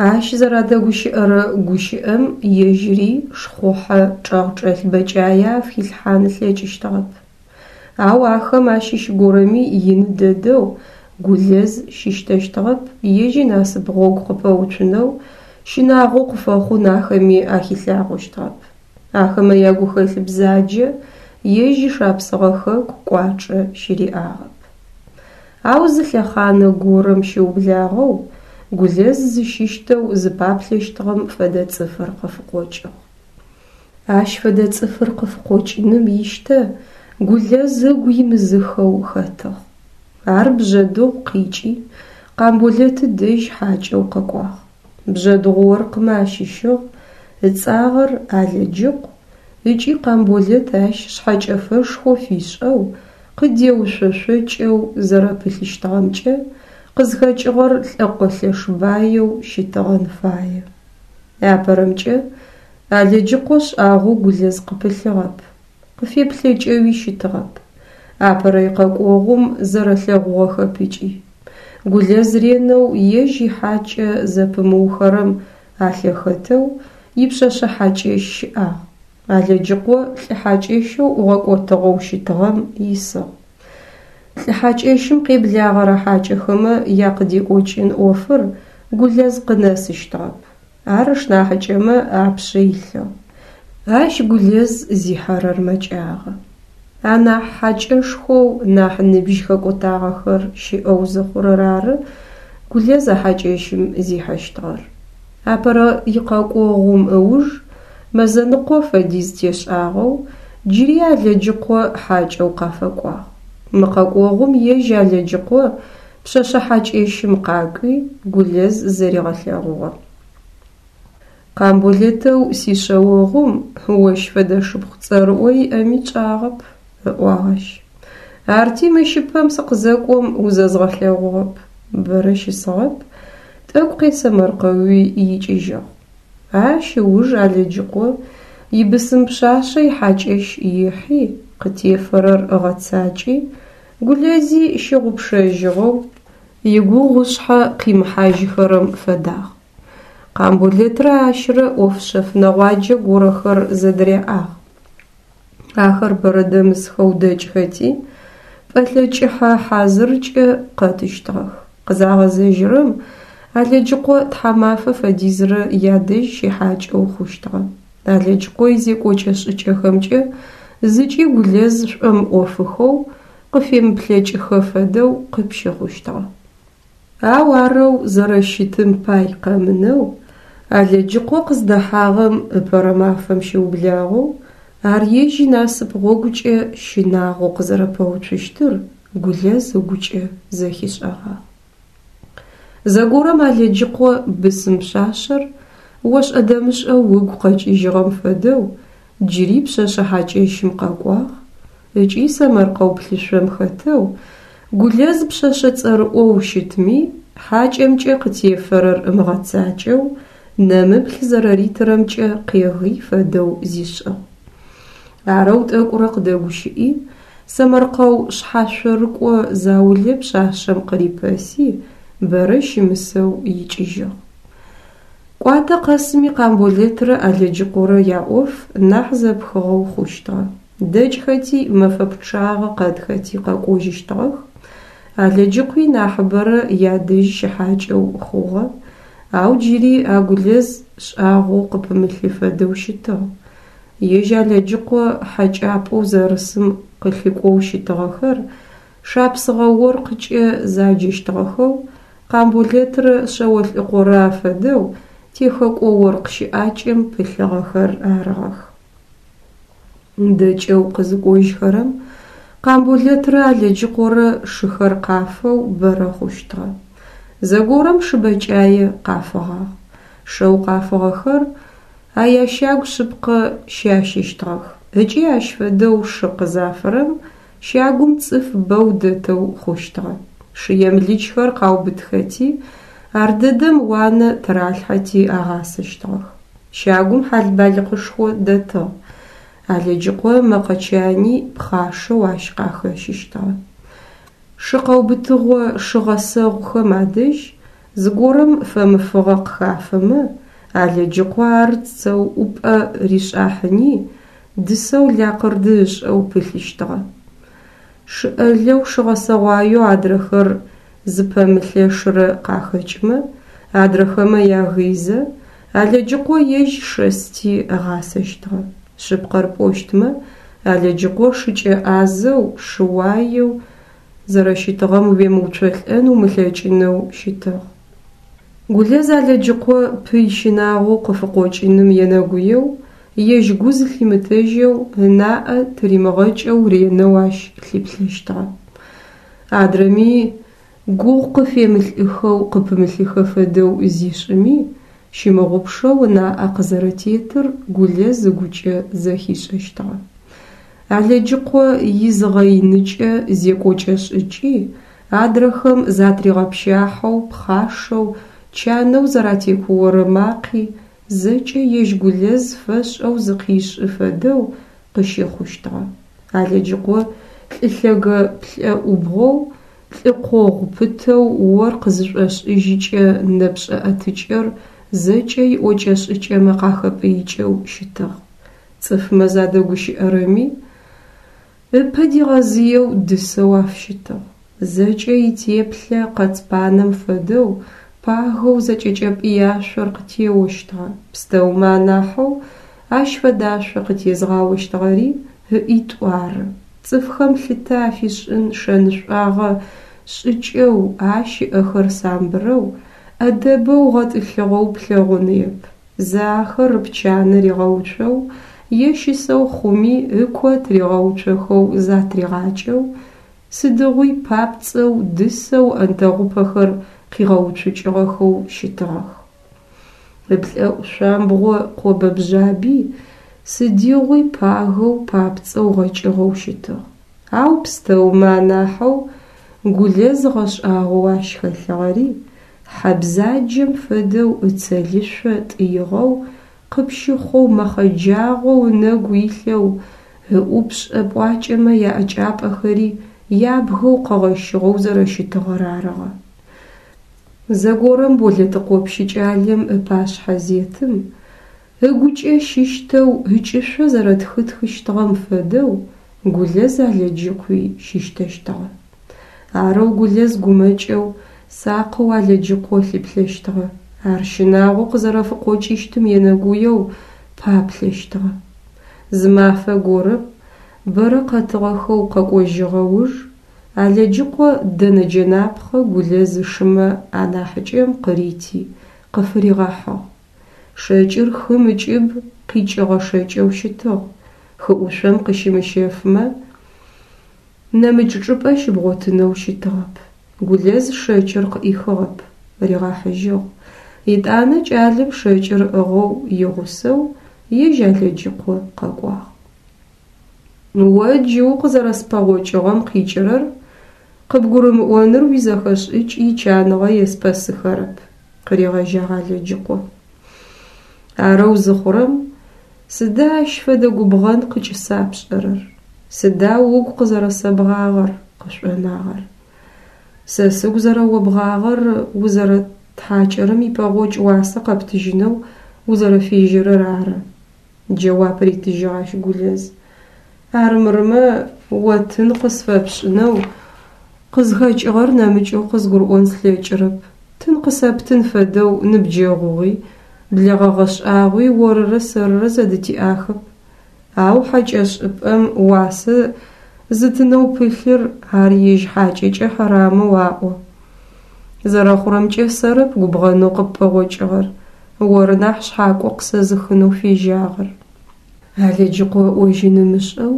Ащ зэрадэгущыӏэрэ гущыӏэм ежьыри шхъухьэ чӏэгъчӏэлъ бэкӏае афыхилъхьан ылъэкӏыщтыгъэп. Ау ахэм ащыщ горэми ины дэдэу Гулэз щыщтэщтыгъэп, ежь инасып гъогу къыпэуцунэу, щынагъо къыфэхъун ахэми ахилъагъощтыгъэп. Ахэмэ ягухэлъ бзаджэ ежь ишапсыгъэ хэку кӏуачӏэ щыриӏагъэп. Ау зы лъэхъанэ горэм щыублагъэу Гулэз зыщыщтэу зыпаплъэщтыгъэм фэдэ цӏыфыр къыфыкъокӏыгъ. Ащ фэдэ цӏыфыр къыфыкъокӏыным ищтэ Гулэз ыгу имызыхэу хэтыгъ. Ар Бжъэдыгъу къикӏи Къамболэты дэжь хьакӏэу къэкӏуагъ. Бжъэдыгъу оркъмэ ащыщыгъ, ыцӏагъэр Алэджыкъу ыкӏи Къамболэт ащ шъхьэкӏэфэшхо фишӏэу, къыдеушъошъокӏэу зэрэпылъыщтыгъэмкӏэ къызхэкӏыгъэр лӏэкъо лъэш баеу щытыгъэн фае. Апэрэмкӏэ Алэджыкъо шӏагъо Гулэз къыпылъыгъэп, къыфеплъэкӏэуи щытыгъэп. Апэрэ икъэкӏогъум зэрэлъэгъугъэхэп ыкӏи. Гулэз ренэу ежь ихьакӏэ зэпымыухэрэм алъэхэтэу ипшъэшъэ хьакӏэщ щыӏагъ. Алэджыкъо лӏы хьакӏэщэу ӏугъэкӏотыгъэу щытыгъэм исыгъ. Лӏы хьакӏэщым къеблагъэрэ хьакӏэхэмэ якъыдекӏокӏын ӏофыр Гулэз къынэсыщтыгъэп. Ар ышнахьыкӏэмэ апшъэ илъыгъ. Ащ Гулэз зихьэрэр мэкӏагъэ. Анахь хьакӏэшхоу нахь ныбжь хэкӏотагъэхэр щыӏэу зыхъурэр ары Гулэз а хьакӏэщым зихьэщтыгъэр. Апэрэ икъэкӏогъум ыуж мэзэныкъо фэдиз тешӏагъэу джыри Алэджыкъо хьакӏэу къафэкӏуагъ. Мы къэкӏогъум ежь Алэджыкъо пшъэшъэ хьакӏэщым къакӏуи Гулэз зэригъэлъэгъугъэ. Къамболэтэу сишъэогъум ощ фэдэ шыпхъу цӏэрыӏо иӏэми тшӏагъэп, ыӏуагъ ащ. Арти мыщыпэм сыкъызэкӏом узэзгъэлъэгъугъэп, бэрэ щысыгъэп, тӏэкӏу къесэмэркъэуи икӏыжьыгъ. Ащ ыуж Алэджыкъо ибысым пшъашъэ ихьакӏэщ ихьи, къытефэрэр ыгъэцакӏи, Гулэзи щыгъупшэжьыгъэу, игугъу ышъхьэ къимыхьажьыхэрэм фэдагъ. Къамболэтрэ ащрэ ӏоф шъэф нэгъуаджэ горэхэр зэдыряӏагъ. Ахэр бэрэ дэмысхэу дэкӏхэти, пӏэлъэ кӏыхьэ хьазыркӏэ къэтыщтыгъэх. Къызагъэзэжьырэм Алэджыкъо тхьамафэ фэдизрэ ядэжь щихьакӏэу хъущтыгъэ. Алэджыкъо изекӏокӏэ-шӏыкӏэхэмкӏэ зыкӏи Гулэз шӏомыӏофыхэу, къыфемыплъэкӏыхэ фэдэу къыпщыхъущтыгъэ. Ау арэу зэрэщытым пай къэмынэу, Алэджыкъо къыздэхьагъэм ыпэрэ мафэм щыублагъэу ар ежь инасып гъогукӏэ щынагъоу къызэрэпэуцущтыр Гулэз ыгукӏэ зэхишӏэгъагъ. Зэгорэм Алэджыкъо бысым пшъашъэр ошӏэ-дэмышӏэу ыгу къэкӏыжьыгъэм фэдэу джыри пшъэшъэ хьакӏэщым къэкӏуагъ ыкӏи сэмэркъэу плъышъом хэтэу Гулэз пшъэшъэ цӏэрыӏоу щытми, хьакӏэмкӏэ къытефэрэр ымыгъэцакӏэу нэмыплъ зэрэритырэмкӏэ къегый фэдэу зишӏыгъ. Арэу тӏэкӏурэ къыдэгущыӏи, сэмэркъэу шъхьашъорыкӏо заулэ пшъашъэм къырипэси, бэрэ щымысэу икӏыжьыгъ. Кӏуатэ къэсми Къамболэтрэ Алэджыкъорэ яӏоф нахь зэпхыгъэу хъущтыгъэ. Дэкӏхэти мэфэ пчъагъэ къэтхэти къэкӏожьыщтыгъэх. Алэджыкъуи нахьыбэрэ ядэжь щыхьакӏэу хъугъэ, ау джыри а Гулэз шӏагъоу къыпымылъы фэдэу щытыгъ. Ежь Алэджыкъо хьэкӏапӏэу зэрысым къылъыкӏоу щытыгъэхэр шапсыгъэ оркъыкӏэ заджэщтыгъэхэу Къамболэтрэ Шъэолӏыкъорэ афэдэу техэкӏо оркъ щыӏакӏэм пылъыгъэхэр арыгъэх. Дэкӏэу къызыкӏожьхэрэм Къамболэтрэ Алэджыкъорэ шыхэр къафэу бэрэ хъущтыгъэ. Зэгорэм шы бэкӏае къафыгъагъ. Шэу къафыгъэхэр а ящагу шъыпкъэ щащыщтыгъэх ыкӏи ащ фэдэу шы къызафырэм щагум цӏыф бэу дэтэу хъущтыгъэ. Шы емлычхэр къаубытхэти, ардэдэм уанэ тыралъхьэти агъасэщтыгъэх. Щагум хьал-балыкъышхо дэтыгъ. Алэджыкъо ымэкъэ чани пхъашэу ащ къахэщыщтыгъэ. Шы къэубытыгъо шы гъэсэгъухэм адэжь зыгорэм фэмыфыгъэ къыхафэмэ, Алэджыкъо ар цэуӏупӏэ ришӏахьыни, дысэу лакъырды ышӏэу пылъыщтыгъэ. Шы ӏэлэу шы гъэсэгъуаеу адрэхэр зыпэмылъэшырэ къахэкӏымэ, адрэхэмэ ягыйзэ, Алэджыкъо ежь шэсти ыгъасэщтыгъэ. Шъыпкъэр пӏощтмэ, Алэджыкъо шыкӏэ ӏазэу, шыуаеу зэрэщытыгъэм уемыуцолӏэн умылъэкӏынэу щытыгъ. Гулэз Алэджыкъо пый щынагъоу къыфыкъокӏыным енэгуеу, ежь гу зылъимытэжьэу, ынаӏэ тыримыгъэкӏэу ренэу ащ лъыплъэщтыгъэ. Адрэми гугъу къыфемылӏыхэу къыпымылъыхэ фэдэу зишӏыми, щымыгъупшэу ынаӏэ къызэрэтетыр Гулэз ыгукӏэ зэхишӏэщтыгъэ. Алэджыкъо изыгъэиныкӏэ зекӏокӏэ-шӏыкӏи, адрэхэм затригъэпщахьэу, пхъашэу, чанэу зэратекуорэ макъи зэкӏэ ежь Гулэз фэшӏэу зыкъишӏы фэдэу къыщыхъущтыгъэ. Алэджыкъо лӏы лъэгэ плӏэӏубгъоу, лӏы къогъу пытэу оркъ зышӏошӏыжьыкӏэ нэпшӏэ ӏэтыкӏэр зэкӏэ иӏокӏэ-шӏыкӏэмэ къахэпӏыикӏэу щытыгъ. Цӏыфмэ задэгущыӏэрэми, Ыпэ дигъэзыеу дысэу афыщытыгъ. Зэкӏэ итеплъэ къэцпанэм фэдэу пагэу зэкӏэкӏэпӏыяшъор къытеощтыгъэ. Пстэумэ анахьэу ащ фэдашъо къытезгъаощтыгъэри ыӏитӏу ары. Цӏыфхэм лъытэ афишӏын шэнышӏуагъэ шӏыкӏэу ащ ыӏэхэр самбырэу, ӏэдэбэу гъэтӏылъыгъэу плъэгъуныеп. Зэ ахэр ыпчанэ ригъэуцоу е щысэу хъуми ыко тыригъэуцохэу затригъакӏэу, сыдигъуи папцӏэу, дысэу ыӏэнтэгъупэхэр къигъэуцукӏыгъэхэу щытыгъэх. Ыплӏэӏу шъуамбгъо къобэ-бжъаби сыдигъуи пагэу, папцӏэу гъэкӏыгъэу щытыгъ. Ау пстэумэ анахьэу Гулэз гъэшӏагъоу ащ хэлъыгъэри хьэ бзаджэм фэдэу ыцэлышъо тӏыигъэу къыпщыхъоу мэхъэджагъэу ынэгу илъэу, ыӏупшӏэ пӏуакӏэмэ яӏэкӏапӏэхэри ябгэу къэгъэщыгъэу зэрэщытыгъэр арыгъэ. Зэгорэм Болэтыкъо пщыкӏалэм ыпашъхьэ зетым, ыгукӏэ щыщтэу ыкӏышъо зэрэтхытхыщтыгъэм фэдэу Гулэз Алэджыкъуи щыщтэщтыгъэ. Арэу Гулэз гумэкӏэу, сакъэу Алэджыкъо лъыплъэщтыгъэ. Ар щынагъо къызэрэфыкъокӏыщтым енэгуеу паплъэщтыгъэ. Зы мафэ горэм, бэрэ къэтыгъэхэу къэкӏожьыгъэ уж, Алэджыкъо дэнэ джэнапхъэ Гулэз ышымэ анахьыкӏэм къырити, къыфыригъэхьыгъ. Шэкӏыр хым ыкӏыб къикӏыгъэ шэкӏэу щытыгъ, хыӏушъом къыщымыщэфымэ, нэмыкӏ чӏыпӏэ щыбгъотынэу щытыгъэп. Гулэз шэкӏыр къыӏихыгъэп, ригъэхьыжьыгъ. Етӏанэ кӏалэм шэкӏыр ыӏыгъэу игъусэу ежь Алэджыкъо къэкӏуагъ. О джы укъызэрэспэгъокӏыгъэм къикӏырэр къыбгурымыӏоныр уизэхэшӏыкӏ ичаныгъэ еспэсыхэрэп, къыригъэжьагъ Алэджыкъо. Арэу зыхъурэм сыда ащ фэдэ губгъэн къыкӏысапшӏэрэр? Сыда угу къызэрэсэбгъагъэр, къышӏонагъэр? Сэ сыгу зэрэобгъагъэр узэрэттхьакӏэрэм ипэгъокӏ уасэ къэптыжьынэу узэрэфежьэрэр ары, джэуап ритыжьыгъ ащ Гулэз. Армырмэ, о тын къысфэпшӏынэу къызхэкӏыгъэр нэмыкӏэу къызгурыӏон слъэкӏырэп. Тын къысэптын фэдэу ныбджэгъугъи, блэгъэгъэ шӏагъуи орырэ сэрырэ зэдытиӏахэп. Ау хьакӏэшӏыпӏэм уасэ зытынэу пылъыр ар ежь хьакӏэкӏэ хьэрамэу аӏо. Зэрэхъурэмкӏэ сэрэп губгъэнэу къыппэгъокӏыгъэр, оры нахь шъхьакӏо къысэзыхынэу фежьагъэр. Алэджыкъо ыӏожьын ымышӏэу,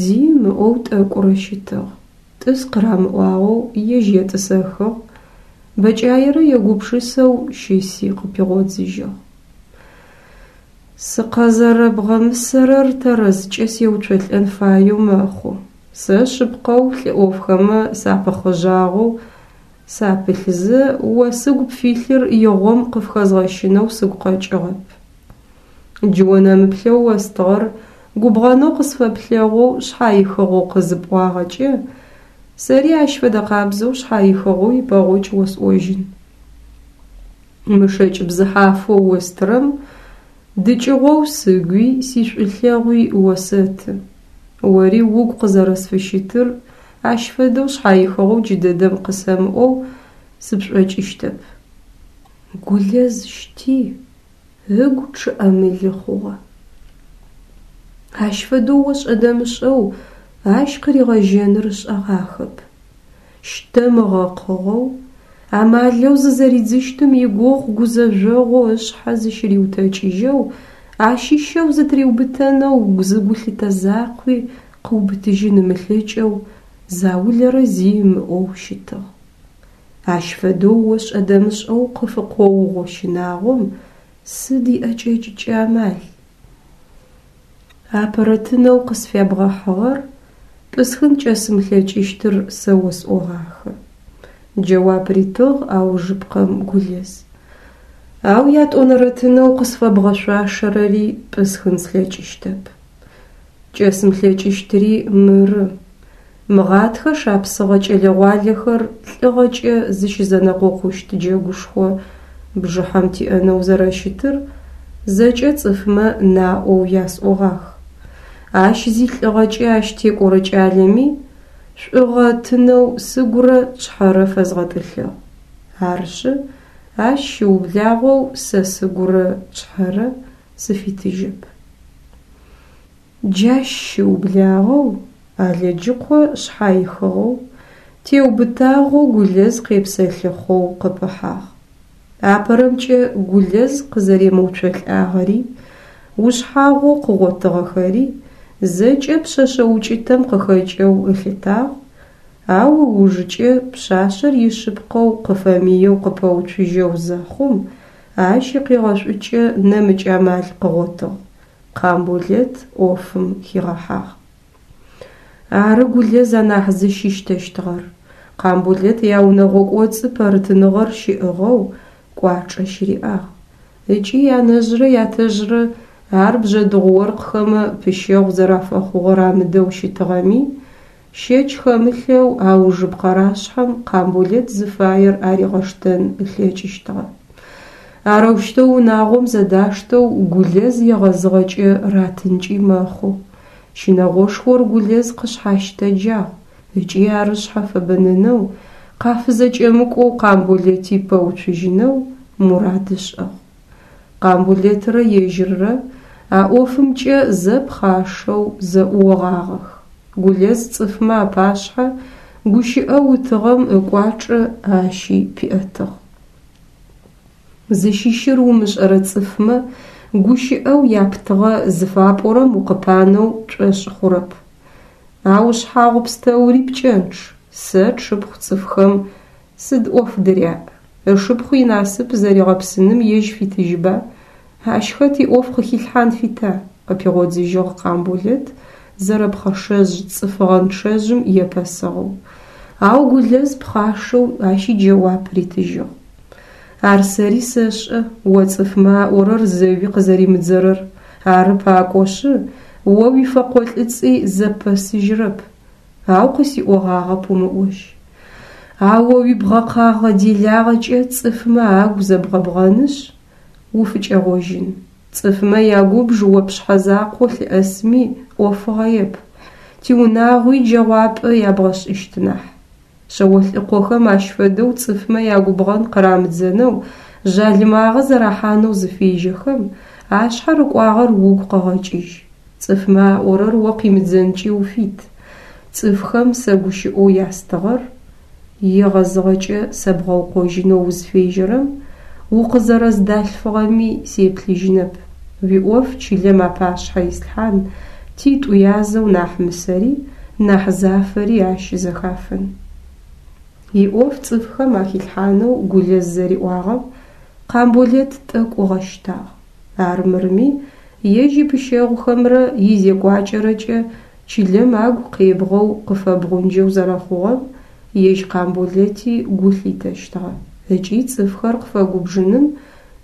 зи ымыӏоу тӏэкӏурэ щытыгъ. Тӏыс къырамыӏуагъэу ежь етӏысэхыгъ, бэкӏаерэ егупшысэу щыси къыпигъодзыжьыгъ. Сыкъэзэрэбгъэмысэрэр тэрэзкӏэ сеуцолӏэн фаеу мэхъу. Сэ шъыпкъэу лӏы ӏофхэмэ сапыхъыжъагъэу сапылъзэ, о сыгу пфилъыр игъом къыфхэзгъэщынэу сыгу къэкӏыгъэп. Джы о нэмыплъэу остыгъэр губгъэнэу къысфэплъэгъоу шъхьаихыгъэу къызыпӏуагъэкӏэ, сэри ащ фэдэ къабзэу шъхьаихыгъэу ипэгъокӏ осӏожьын. Мы шэкӏ бзыхьафэу остырэм дыкӏыгъоу сыгуи сишӏулъэгъуи осэты. Ори угу къызэрэсфыщытыр ащ фэдэу шъхьаихыгъэу джыдэдэм къысэмыӏоу сыпшӏокӏыщтэп. Гулэз щти, ыгу чъыӏэмылы хъугъэ. Ащ фэдэу ошӏэ-дэмышӏэу ащ къыригъэжьэныр ышӏэгъахэп. Щтэм ыгъэкъыгъэу, амалэу зызэридзыщтым игугъу гузэжъогъоу ышъхьэ зыщыриутэкӏыжьэу, ащыщэу зытыриубытэнэу зы гулъытэ закъуи къыубытыжьын ымылъэкӏэу заулэрэ зи ымыӏоу щытыгъ. Ащ фэдэу ошӏэ-дэмышӏэу къыфыкъоугъо щынагъом сыд иӏэкӏэкӏыкӏэ амал? Апэрэ тынэу къысфябгъэхьыгъэр пӏысхын кӏэсымылъэкӏыщтыр сэ осӏогъахэ. Джэуап ритыгъ аужыпкъэм Гулэз. Ау ятӏонэрэ тынэу къысфэбгъэшъуашэрэри пӏысхын слъэкӏыщтэп. Кӏэсымылъэкӏыщтыри мыры. Мыгъатхэ шапсыгъэ кӏэлэ-гъуалэхэр лӏыгъэкӏэ зыщызэнэкъокъущт джэгушхо бжыхьэм тиӏэнэу зэрэщытыр зэкӏэ цӏыфмэ наӏоу ясӏогъах. Ащ зилӏыгъэкӏэ ащ текӏорэ кӏалэми шӏугъэ тынэу сыгурэ шъхьэрэ фэзгъэтӏылъыгъ. Арышъы, ащ щыублагъэу сэ сыгурэ шъхьэрэ сыфитыжьэп. Джащ щыублагъэу Алэджыкъо шъхьаихыгъэу, теубытагъэу Гулэз къепсэлъыхъоу къыпыхьагъ. Апэрэмкӏэ Гулэз къызэремыуцолӏагъэри, ушъхьагъоу къыгъотыгъэхэри зэкӏэ пшъэшъэ укӏытэм къыхэкӏэу ылъытагъ, ау ыужыкӏэ пшъашъэр ишъыпкъэу къыфэмыеу къыпэуцужьэу зэхъум, ащ икъегъэшӏукӏэ нэмыкӏ амал къыгъотыгъ: Къамболэт ӏофым хигъэхьагъ. Ары Гулэз анахь зыщыщтэщтыгъэр. Къамболэт яунэгъо кӏоцӏы пэрытныгъэр щиӏыгъэу кӏуачӏэ щыриӏагъ. Ыкӏи янэжърэ ятэжърэ ар бжъэдыгъу оркъхэмэ пыщэгъу зэрафэхъугъэр амыдэу щытыгъэми, щэч хэмылъэу аужыпкъэрашъхьэм Къамболэт зыфаер аригъэштэн ылъэкӏыщтыгъэ. Арэущтэу унагъом зэдаштэу Гулэз егъэзыгъэкӏэ ратынкӏи мэхъу. Щынэгъошхор Гулэз къышъхьащытэджагъ ыкӏи ар ышъхьэ фэбэнэнэу, къафызэкӏэмыкӏоу Къамболэти пэуцужьынэу мурад ышӏыгъ. Къамболэтрэ ежьыррэ а ӏофымкӏэ зэ пхъашэу зэӏуогъагъэх. Гулэз цӏыфмэ апашъхьэ гущыӏэу ытыгъэм ыкӏуачӏэ ащи пиӏэтыгъ. Зыщыщыр умышӏэрэ цӏыфмэ гущыӏэу яптыгъэ зыфапӏорэм укъыпанэу пшӏошъ хъурэп. А ушъхьагъу пстэури пкӏэнчъ, сэ тшыпхъу цӏыфхэм сыд ӏоф дыряӏ? Ышыпхъу инасып зэригъэпсыным ежь фитыжьба? Ащ хэт иӏоф къыхилъхьан фита? Къыпигъодзыжьыгъ Къамболэт зэрэпхъэшэжъ цӏыфыгъэнчъэжъым епэсыгъэу. Ау Гулэз пхъашэу ащ иджэуап ритыжьыгъ. Ар сэри сэшӏэ, о цӏыфмэ аӏорэр зэуи къызэримыдзэрэр. Ары пакӏошъы, о уифэкъолӏыцӏи зэппэсыжьырэп. Ау къысиӏогъагъэп умыӏожь. А о уибгъэкъагъэ делагъэкӏэ цӏыфмэ агу зэбгъэбгъэнышъ, уфыкӏэгъожьын. Цӏыфмэ ягубж о пшъхьэ закъо лъыӏэсми ӏофыгъэеп, тиунагъуи джэгъуапӏэ ябгъэшӏыщт нахь. Шъэолӏыкъохэм ащ фэдэу цӏыфмэ ягубгъэн къырамыдзэнэу, жъалымагъэ зэрахьанэу зыфежьэхэм, ашъхьэ рыкӏуагъэр угу къэгъэкӏыжь. Цӏыфмэ аӏорэр о къимыдзэнкӏи уфит. Цӏыфхэм сэ гущыӏэу ястыгъэр егъэзыгъэкӏэ сэбгъэукъожьынэу узфежьэрэм, укъызэрэздалъфыгъэми сеплъыжьынэп. Уиӏоф чылэм апашъхьэ ислъхьан, титӏу язэу нахь мысэри, нахь зафэри ащ зэхафын. Иӏоф цӏыфхэм ахилъхьанэу Гулэз зэриӏуагъэм Къамболэт тӏэкӏу ыгъэщтагъ. Армырми, ежь ипыщэгъухэмрэ изекӏуакӏэрэкӏэ чылэм агу къебгъэу къыфэбгъунджэу зэрэхъугъэм ежь Къамболэти гу лъитэщтыгъэ ыкӏи цӏыфхэр къыфэгубжыным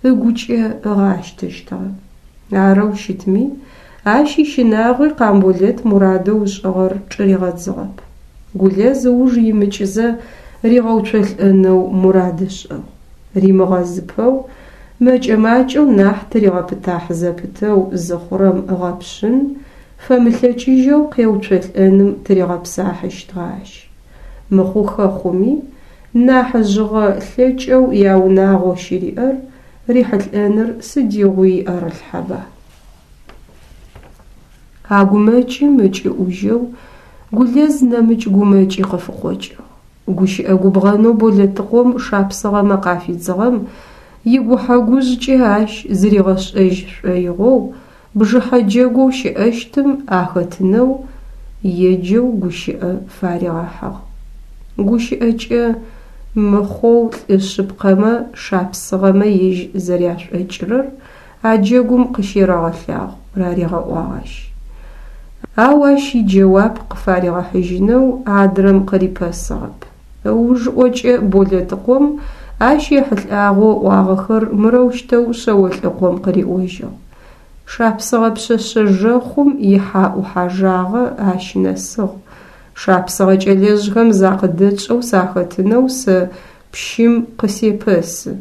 ыгукӏэ ыгъащтэщтыгъэ. Арэу щытми, ащ ищынагъуи Къамболэт мурадэу ышӏыгъэр чӏыригъэдзыгъэп. Гулэз ыуж имыкӏызэ ригъэуцолӏэнэу мурад ышӏыгъ. Римыгъэзыпэу, мэкӏэ-макӏэу нахь тыригъэпытахь зэпытэу зыхъурэм ыгъэпшъын, фэмылъэкӏыжьэу къеуцолӏэным тыригъэпсахьыщтыгъэ ащ. Мыхъухэ хъуми, нахьыжъыгъэ лъэкӏэу яунагъо щыриӏэр рихьылӏэныр сыдигъуи ӏэрылъхьэба. А гумэкӏым ыкӏыӏужьэу Гулэз нэмыкӏ гумэкӏи къыфыкъокӏыгъ. Гущыӏэ губгъэнэу Болэтыкъом шапсыгъэмэ къафидзыгъэм игухьэ-гужъкӏэ ащ зыригъэшӏэжь шӏоигъоу бжыхьэ джэгоу щыӏэщтым ахэтынэу еджэу гущыӏэ фаригъэхьыгъ. Гущыӏэкӏэ мыхъоу лӏы шъыпкъэмэ шапсыгъэмэ ежь зэряшӏокӏырэр а джэгум къыщерэгъэлъагъу, раригъэӏуагъ ащ. Ау ащ иджэуап къыфаригъэхьыжьынэу адрэм къырипэсыгъэп. Ыужыӏокӏэ Болэтыкъом ащ ехьылӏагъэу ыӏуагъэхэр мырэущтэу Шъэолӏыкъом къыриӏожьыгъ. Шапсыгъэ пшъэшъэ жэхъум ихьаӏухьажагъэ ащ нэсыгъ. Шапсыгъэ кӏэлэжъхэм закъыдэтшӏэу сахэтынэу сэ пщым къысепэсы.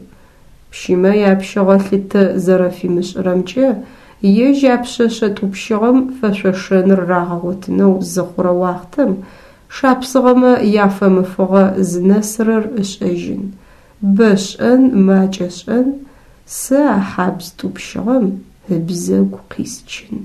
Пщымэ япщыгъэ лъытэ зэрэфимышӏырэмкӏэ Ежь а пшъэшъэ тӏупщыгъэм фэшъошэныр рагъэгъотынэу зыхъурэ уахътэм шапсыгъэмэ яфэмыфыгъэ зынэсырэр ышӏэжьын. Бэ шӏэн, макӏэ шӏэн, сэ а хьабз тӏупщыгъэм ыбзэгу къисчын.